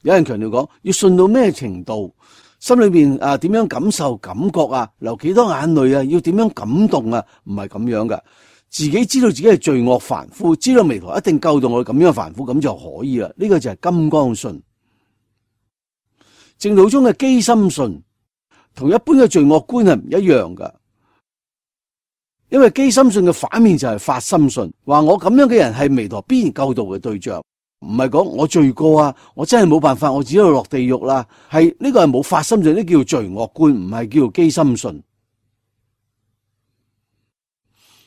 有人強調講，要信到咩程度，心裏邊點樣感受感覺啊，流幾多眼淚啊，要點樣感動啊，唔係咁樣噶。自己知道自己係罪惡凡夫，知道彌陀一定救到我哋咁樣凡夫，咁就可以啦。呢個就係金剛信。正道中嘅機心信，同一般嘅罪惡觀係唔一樣噶，因為機心信嘅反面就係法心信，話我咁樣嘅人係彌陀必然救度嘅對象，唔係講我罪過啊，我真係冇辦法，我只有落地獄啦。係呢個係冇法心信，呢叫罪惡觀，唔係叫做機心信。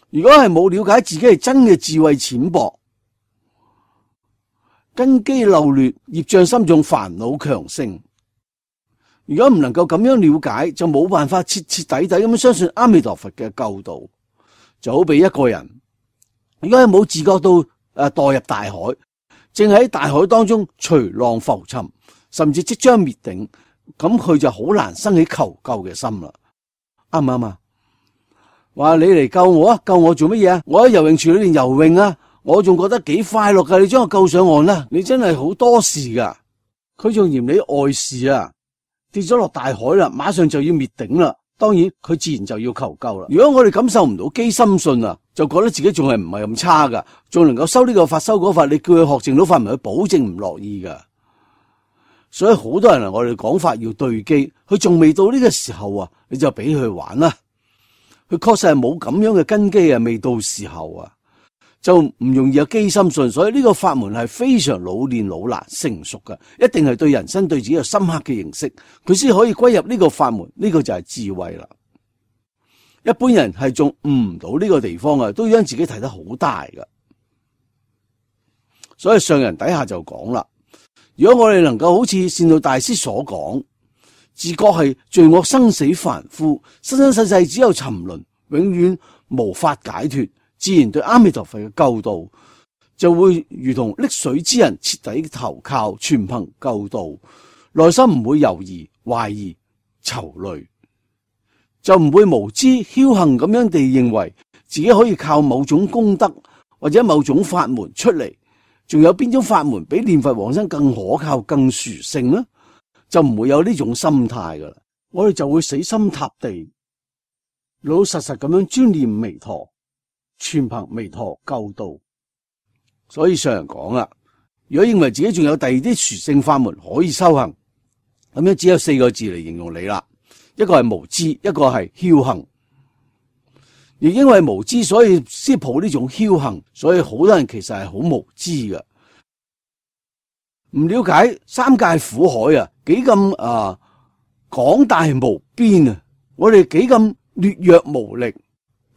如果係冇了解自己係真嘅智慧淺薄，根基漏劣，業障深重，煩惱強盛。如果唔能夠咁樣了解，就冇辦法徹徹底底咁樣相信阿彌陀佛嘅救度。就好比一個人，如果係冇自覺到墮入大海，正喺大海當中隨浪浮沉，甚至即將滅頂，咁佢就好難生起求救嘅心啦。啱唔啱啊？話你嚟救我啊！救我做乜嘢啊？我喺游泳池裏面游泳啊，我仲覺得幾快樂噶。你將我救上岸啦！你真係好多事噶。佢仲嫌你礙事啊！跌咗落大海啦，馬上就要滅頂啦。當然佢自然就要求救啦。如果我哋感受唔到機心信啊，就覺得自己仲係唔係咁差噶，仲能夠修呢個法修嗰法，你叫佢學證到法門，佢保證唔樂意噶。所以好多人啊，我哋講法要對機，佢仲未到呢個時候啊，你就俾佢玩啦。佢確實係冇咁樣嘅根基啊，未到時候啊，就唔容易有機心信。所以呢個法門係非常老練老難成熟嘅，一定係對人生對自己有深刻嘅認識，佢先可以歸入呢個法門。呢個就係智慧啦。一般人係仲悟唔到呢個地方啊，都將自己睇得好大噶。所以上人底下就講啦，如果我哋能夠好似善導大師所講，自覺係罪惡生死凡夫，生生世世只有沉淪，永遠無法解脫，自然對阿彌陀佛嘅救度就會如同溺水之人徹底投靠，全憑救度，內心唔會猶豫懷疑愁慮，就唔會無知僥倖咁樣地認為自己可以靠某種功德或者某種法門出嚟。仲有邊種法門比念佛往生更可靠更殊勝呢？就唔會有呢種心態噶啦，我哋就會死心塌地，老老實實咁樣專念彌陀，全憑彌陀救度。所以上人講啦，如果認為自己仲有第二啲殊勝法門可以修行，咁樣只有4個字嚟形容你啦，一個係無知，一個係僥倖。亦因為無知，所以先抱呢種僥倖，所以好多人其實係好無知嘅。唔了解三界苦海啊，幾咁廣大無邊啊！我哋幾咁劣弱無力，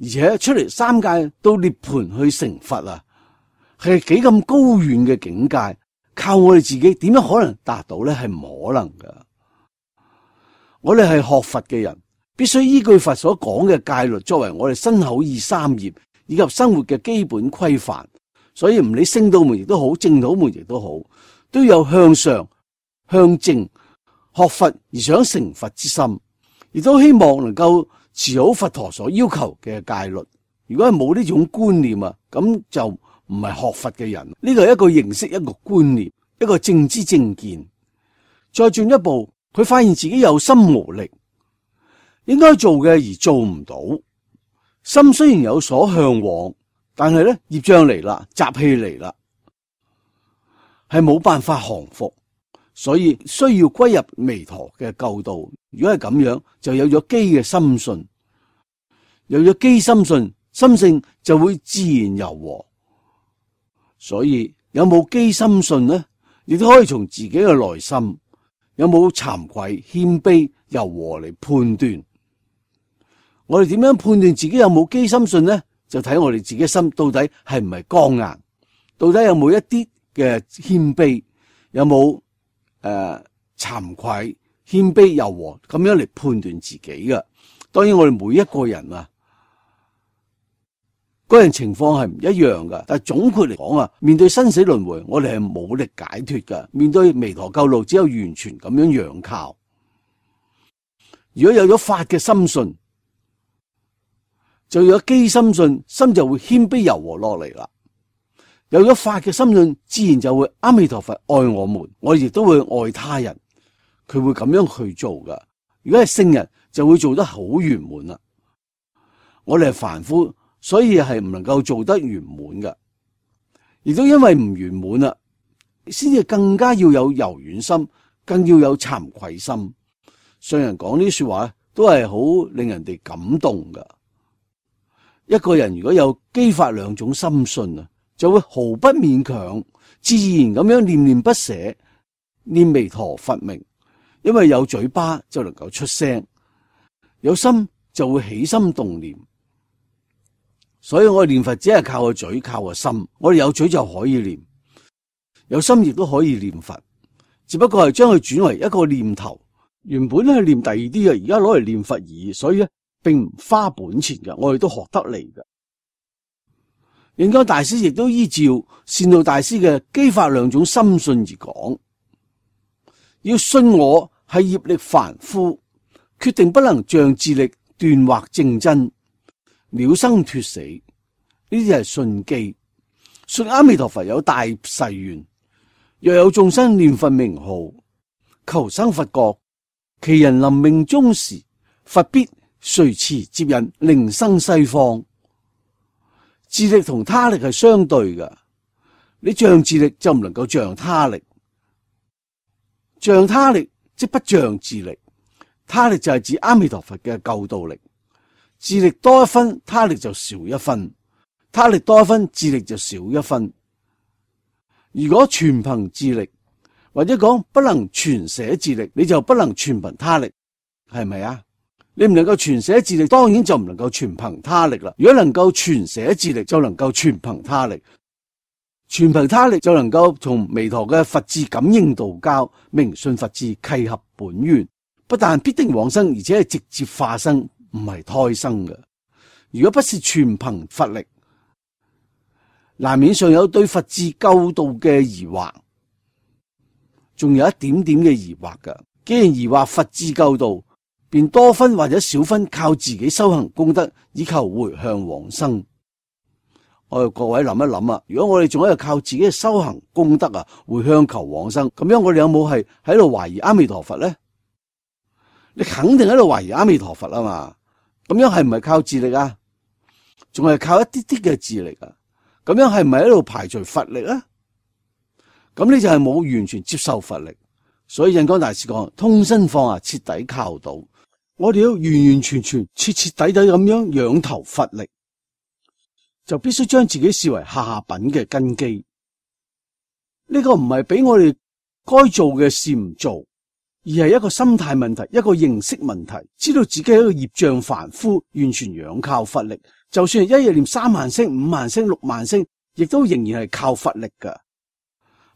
而且出嚟三界到涅槃去成佛啊，係幾咁高遠嘅境界，靠我哋自己點樣可能達到呢？係唔可能噶。我哋係學佛嘅人，必須依據佛所講嘅戒律作為我哋身口意三業以及生活嘅基本規範。所以唔理聖道門亦都好，正道門亦都好，都有向上向正學佛而想成佛之心，亦都希望能夠持好佛陀所要求嘅戒律。如果係冇呢種觀念啊，咁就唔係學佛嘅人。呢個係一個認識，一個觀念，一個正知正見。再進一步，佢發現自己有心無力，應該做嘅而做唔到。心雖然有所向往，但係咧業障嚟啦，習氣嚟啦，係冇辦法降服，所以需要歸入彌陀嘅救道。如果係咁樣，就有咗機嘅心信，有咗機心信，心性就會自然柔和。所以有冇機心信呢？亦都可以從自己嘅內心有冇慚愧、謙卑、柔和嚟判斷。我哋點樣判斷自己有冇機心信呢？就睇我哋自己心到底係唔係剛硬，到底有冇一啲嘅謙卑，有冇慚愧、謙卑、柔和咁樣嚟判斷自己嘅。當然我哋每一個人啊，個人情況係唔一樣噶，但係總括嚟講啊，面對生死輪迴，我哋係冇力解脫噶。面對彌陀救路，只有完全咁樣仰靠。如果有咗法嘅心信，就有機心信，心就會謙卑柔和落嚟啦。有咗法嘅心信，自然就會阿彌陀佛愛我們，我亦都會愛他人。佢會咁樣去做噶。如果係聖人，就會做得好圓滿啦。我哋係凡夫，所以係唔能夠做得圓滿噶。亦都因為唔圓滿啦，先至更加要有柔軟心，更要有慚愧心。上人講呢啲說話都係好令人哋感動噶。一個人如果有機法兩種心信啊，就會毫不勉強，自然咁樣念念不捨，念彌陀佛名。因為有嘴巴就能夠出聲，有心就會起心動念。所以我哋念佛只係靠個嘴，靠個心。我哋有嘴就可以念，有心亦都可以念佛，只不過係將佢轉為一個念頭。原本咧係念第二啲嘅，而家攞嚟念佛而已，所以咧並唔花本錢嘅，我哋都學得嚟嘅。印光大師亦都依照善導大師嘅機法兩種心信而講，要信我係業力凡夫，決定不能仗智力斷惑正真，了生脫死。呢啲係信機。信阿彌陀佛有大誓願，若有眾生念佛名號，求生佛國，其人臨命終時，佛必隨慈接引，令生西方。智力同他力係相對嘅，你仗智力就唔能夠仗他力，仗他力即不仗智力。他力就係指阿彌陀佛嘅救度力，智力多一分，他力就少一分；他力多一分，智力就少一分。如果全憑智力，或者講不能全捨智力，你就不能全憑他力，係咪啊？你唔能夠全捨智力，當然就唔能夠全憑他力啦。如果能夠全捨智力，就能夠全憑他力。全憑他力就能夠同彌陀嘅佛智感應道交，明信佛智契合本願，不但必定往生，而且係直接化生，唔係胎生嘅。如果不是全憑佛力，難免尚有對佛智救道嘅疑惑，仲有一點點嘅疑惑噶。既然疑惑佛智救道，便多分或者少分靠自己修行功德，以求回向往生。我哋各位諗一諗啊，如果我哋仲喺度靠自己嘅修行功德啊，回向求往生，咁樣我哋有冇係喺度懷疑阿彌陀佛咧？你肯定喺度懷疑阿彌陀佛啊嘛？咁樣係唔係靠智力啊？仲係靠一啲啲嘅智力啊？咁樣係唔係喺度排除佛力啊？咁你就係冇完全接受佛力。所以印光大師講，通身放下，徹底靠倒。我哋要完完全全、徹徹底底咁樣仰投佛力，就必須將自己視為下品嘅根基。呢個唔係俾我哋該做嘅事唔做，而係一個心態問題，一個認識問題。知道自己係一個業障凡夫，完全仰靠佛力，就算係一日念3萬聲、5萬聲、6萬聲，亦都仍然係靠佛力噶。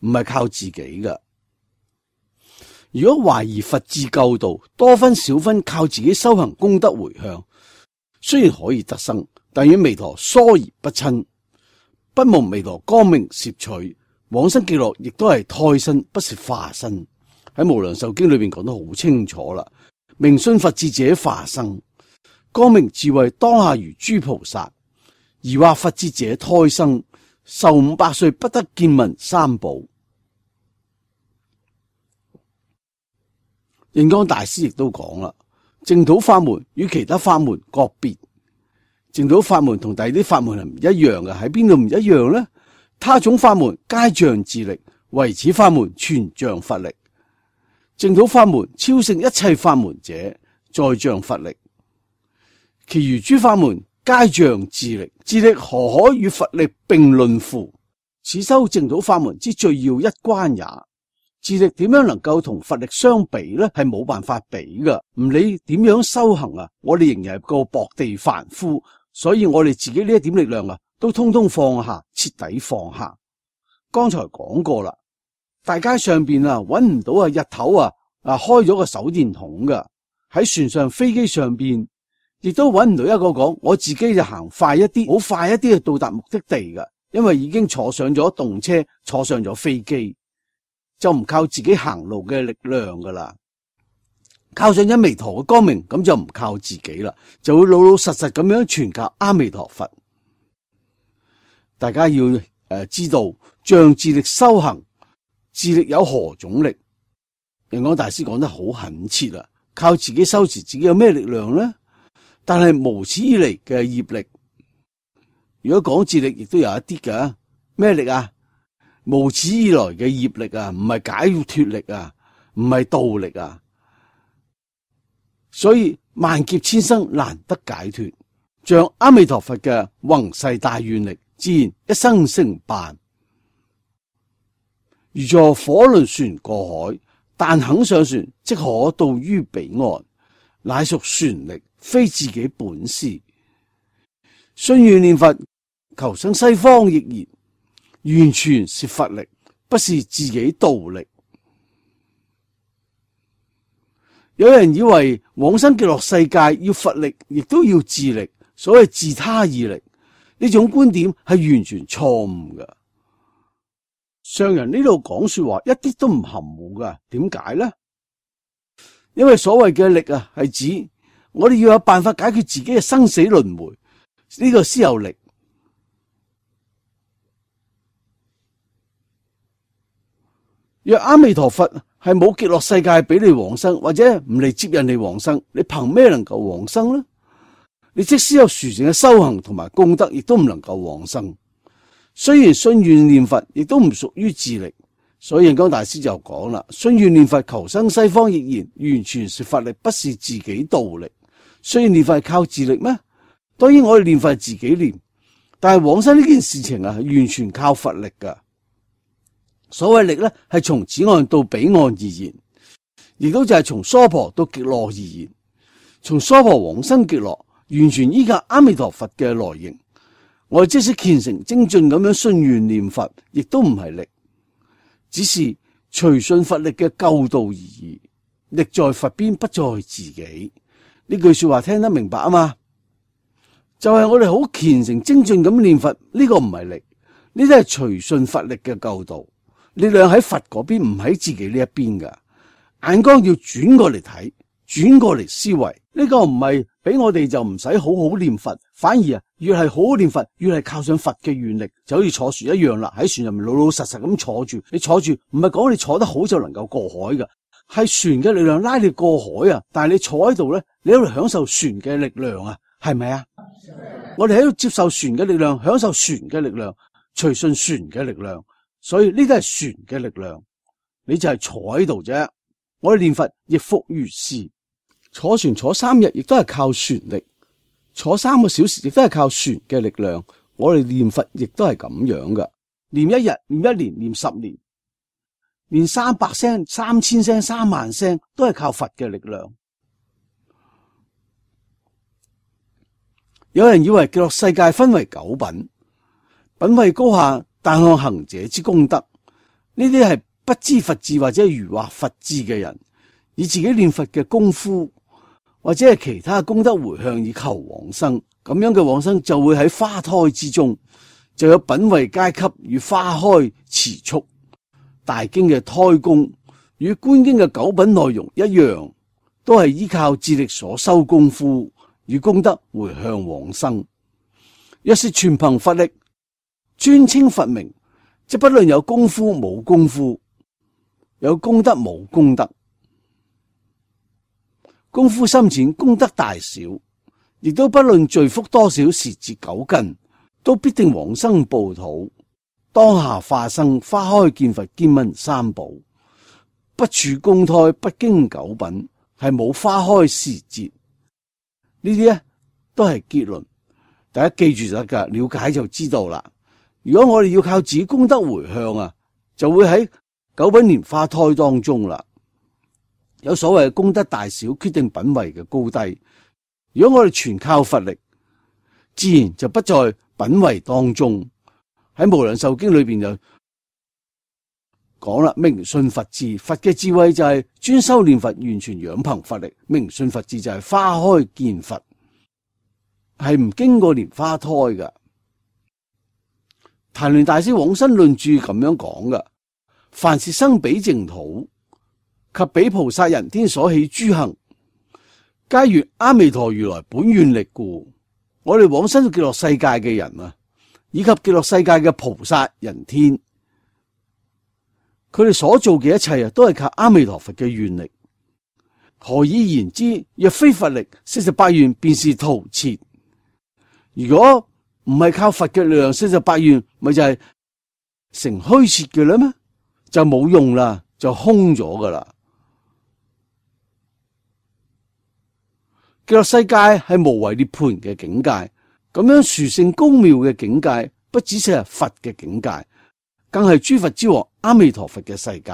唔係靠自己㗎。如果懷疑佛智救度，多分少分靠自己修行功德回向，雖然可以得生，但與彌陀疏而不親，不蒙彌陀光明攝取，往生極樂亦都係胎身，不是化身。喺無量壽經裏邊講得好清楚啦，明信佛智者化生，光明智慧當下如諸菩薩，疑惑佛智者胎生，壽500歲不得見聞三寶。印光大師亦都講啦，淨土法門與其他法門各別，淨土法門同第二啲法門係唔一樣嘅，喺邊度唔一樣呢？他種法門皆仗自力，唯此法門全仗佛力。淨土法門超勝一切法門者，在仗佛力，其餘諸法門皆仗自力，自力何可與佛力並論乎？此修淨土法門之最要一關也。自力點樣能夠同佛力相比呢？係冇辦法比噶。唔理點樣修行啊，我哋仍然係個薄地凡夫，所以我哋自己呢一點力量啊，都通通放下，徹底放下。剛才講過啦，大街上邊啊揾唔到啊日頭啊開咗個手電筒噶，喺船上飛機上邊亦都揾唔到一個講我自己就行快一啲，好快一啲去到達目的地噶，因為已經坐上咗動車，坐上咗飛機。就唔靠自己行路嘅力量噶啦，靠上咗彌陀嘅光明，咁就唔靠自己啦，就會老老實實咁樣全靠阿彌陀佛。大家要知道，仗自力修行，自力有何種力？印光大師講得好懇切啦，靠自己修持，自己有咩力量呢？但係無始以嚟嘅業力，如果講自力，亦都有一啲嘅咩力啊？無始以來嘅業力啊，唔係解脫力啊，唔係道力啊，所以萬劫千生難得解脫。像阿彌陀佛嘅宏誓大願力，自然一生成辦。如坐火輪船過海，但肯上船，即可到於彼岸，乃屬船力，非自己本事。信願念佛，求生西方亦然。完全是佛力，不是自己道力。有人以為往生極樂世界要佛力，亦都要自力，所謂自他二力，呢種觀點係完全錯誤嘅。上人呢度講說話一啲都唔含糊噶，點解呢？因為所謂嘅力啊，係指我哋要有辦法解決自己嘅生死輪迴，呢個先有力。若阿彌陀佛係冇極樂世界俾你往生，或者唔嚟接引你往生，你憑咩能夠往生呢？你即使有殊勝嘅修行同埋功德，亦都唔能夠往生。雖然信願念佛，亦都唔屬於自力。所以印光大師就講啦：信願念佛求生西方亦然，完全是佛力，不是自己道力。雖然念佛係靠自力咩？當然我哋念佛係自己念，但係往生呢件事情啊，係完全靠佛力噶。所謂力咧，係從此岸到彼岸而言，亦都就係從娑婆到極樂而言。從娑婆往生極樂，完全依靠阿彌陀佛嘅來迎。我哋即使虔誠精進咁樣信願念佛，亦都唔係力，只是隨順佛力嘅救度而已。力在佛邊，不在自己。呢句說話聽得明白啊嘛？就係我哋好虔誠精進咁念佛，呢個唔係力，呢啲係隨順佛力嘅救度。力量喺佛嗰邊，唔喺自己呢一邊噶。眼光要轉過嚟睇，轉過嚟思維。呢個唔係俾我哋就唔使好好念佛，反而越係好好念佛，越係靠上佛嘅願力，就好似坐船一樣啦。喺船入面老老實實咁坐住，你坐住唔係講你坐得好就能夠過海噶，係船嘅力量拉你過海啊。但係你坐喺度咧，你喺度享受船嘅力量啊，係咪啊？我哋喺度接受船嘅力量，享受船嘅力量，隨順船嘅力量。所以呢啲係船嘅力量，你就係坐喺度啫。我哋念佛亦復如是，坐船坐3日亦都係靠船力，坐3個小時亦都係靠船嘅力量。我哋念佛亦都係咁樣噶，念1日、念1年、念10年，念300聲、3000聲、3萬聲，都係靠佛嘅力量。有人以為極樂世界分為9品，品位高下，但看行者之功德。呢啲係不知佛智或者愚惑佛智嘅人，以自己念佛嘅功夫或者係其他功德回向以求往生，咁樣嘅往生就會喺花胎之中，就有品位階級與花開遲速。大經嘅胎功與觀經嘅九品內容一樣，都係依靠智力所修功夫與功德回向往生。若是全憑佛力專稱佛名，即不論有功夫冇功夫，有功德冇功德，功夫深淺功德大小，亦都不論罪福多少時節久近，都必定往生報土，當下化生花開見佛見聞三寶，不處公胎不經九品，係冇花開時節。呢啲咧都係結論，大家記住就得噶，了解就知道啦。如果我哋要靠自己功德回向啊，就會喺九品蓮花胎當中啦。有所謂嘅功德大小決定品位嘅高低。如果我哋全靠佛力，自然就不在品位當中。喺無量壽經裏邊就講啦，明信佛智，佛嘅智慧就係專修念佛，完全仰憑佛力。明信佛智就係花開見佛，係唔經過蓮花胎噶。曇鸞大師往生論注咁樣講噶：凡是生彼淨土及彼菩薩人天所起諸行，皆如阿彌陀如來本願力故。我哋往生到極樂世界嘅人啊，以及極樂世界嘅菩薩人天，佢哋所做嘅一切啊，都係靠阿彌陀佛嘅願力。何以言之？若非佛力，48願便是徒設。如果唔係靠佛嘅力量，48願咪就係成虛設嘅啦咩？就冇用啦，就空咗噶啦。極樂世界係無為涅槃嘅境界，咁樣殊勝高妙嘅境界，不只是係佛嘅境界，更係諸佛之王阿彌陀佛嘅世界。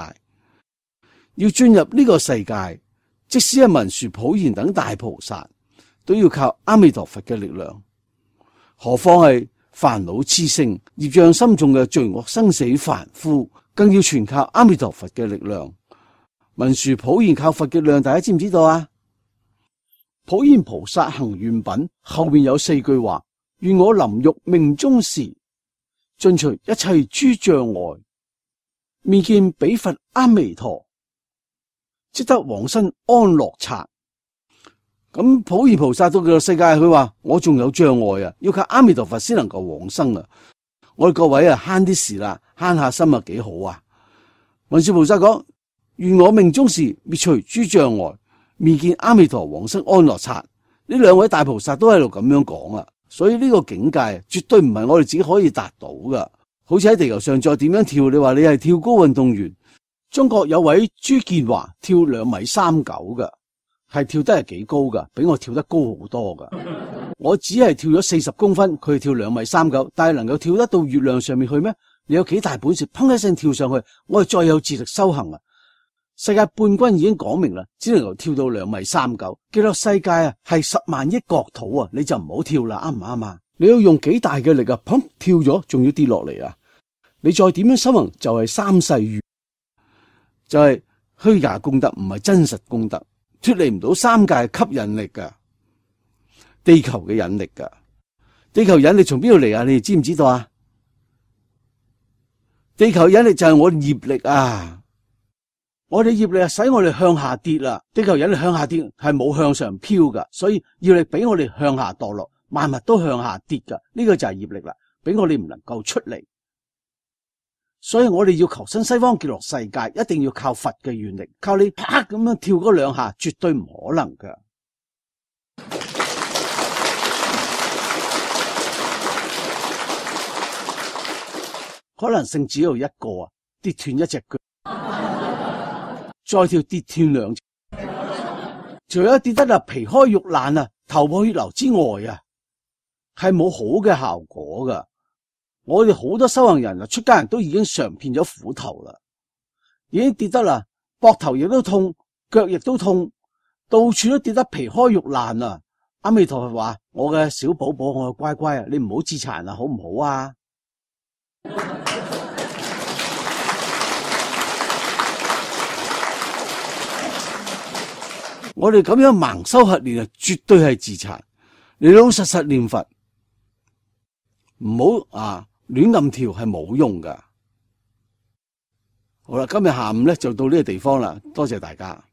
要進入呢個世界，即使係文殊普賢等大菩薩，都要靠阿彌陀佛嘅力量。何況係煩惱熾盛、業障深重嘅罪惡生死凡夫，更要全靠阿彌陀佛嘅力量。文殊普賢靠佛嘅力量，大家知唔知道啊？普賢菩薩行願品後面有4句話：願我臨欲命終時，盡除一切諸障礙，面見彼佛阿彌陀，即得往生安樂剎。咁普賢菩薩到極樂世界，佢話我仲有障礙啊，要靠阿彌陀佛先能夠往生啊！我哋各位啊，慳啲事啦，慳下心啊，幾好啊！文殊菩薩講：願我命終時滅除諸障礙，面見阿彌陀往生安樂剎。呢2位大菩薩都喺度咁樣講啊，所以呢個境界絕對唔係我哋自己可以達到噶。好似喺地球上再點樣跳，你話你係跳高運動員，中國有位朱建華跳2.39米噶。係跳得係幾高噶，比我跳得高好多噶。我只係跳咗40公分，佢跳2.39米，但係能夠跳得到月亮上面去咩？你有幾大本事，砰一聲跳上去？我哋再有自力修行啊！世界冠軍已經講明啦，只能夠跳到2.39米。極樂世界啊，係10萬億國土啊，你就唔好跳啦，啱唔啱啊？你要用幾大嘅力啊？砰跳咗，仲要跌落嚟啊！你再點樣修行，就係三世緣，就係虛假功德，唔係真實功德。脫離唔到三界吸引力噶，地球嘅引力噶，地球引力從邊度嚟啊？你哋知唔知道啊？地球引力就係我哋業力啊！我哋業力啊，使我哋向下跌啦。地球引力向下跌係冇向上飄噶，所以業力俾我哋向下墮落，萬物都向下跌噶。呢個就係業力啦，俾我哋唔能夠出嚟。所以我哋要求生西方極樂世界，一定要靠佛嘅願力，靠你啪咁樣跳嗰2下，絕對唔可能噶。可能性只有一個啊，跌斷一隻腳，再跳跌斷2隻，除咗跌得皮開肉爛啊、頭破血流之外啊，係冇好嘅效果噶。我哋好多修行人啊，出家人都已經嘗遍咗苦頭啦，已經跌得啦，膊頭亦都痛，腳亦都痛，到處都跌得皮開肉爛啊！阿彌陀佛話：我嘅小寶寶，我嘅乖乖啊，你唔好自殘啊，好唔好啊？我哋咁樣盲修瞎練啊，絕對係自殘。你老老實實念佛，唔好亂咁跳，係冇用噶。好啦，今日下午咧就到呢個地方啦，多謝大家。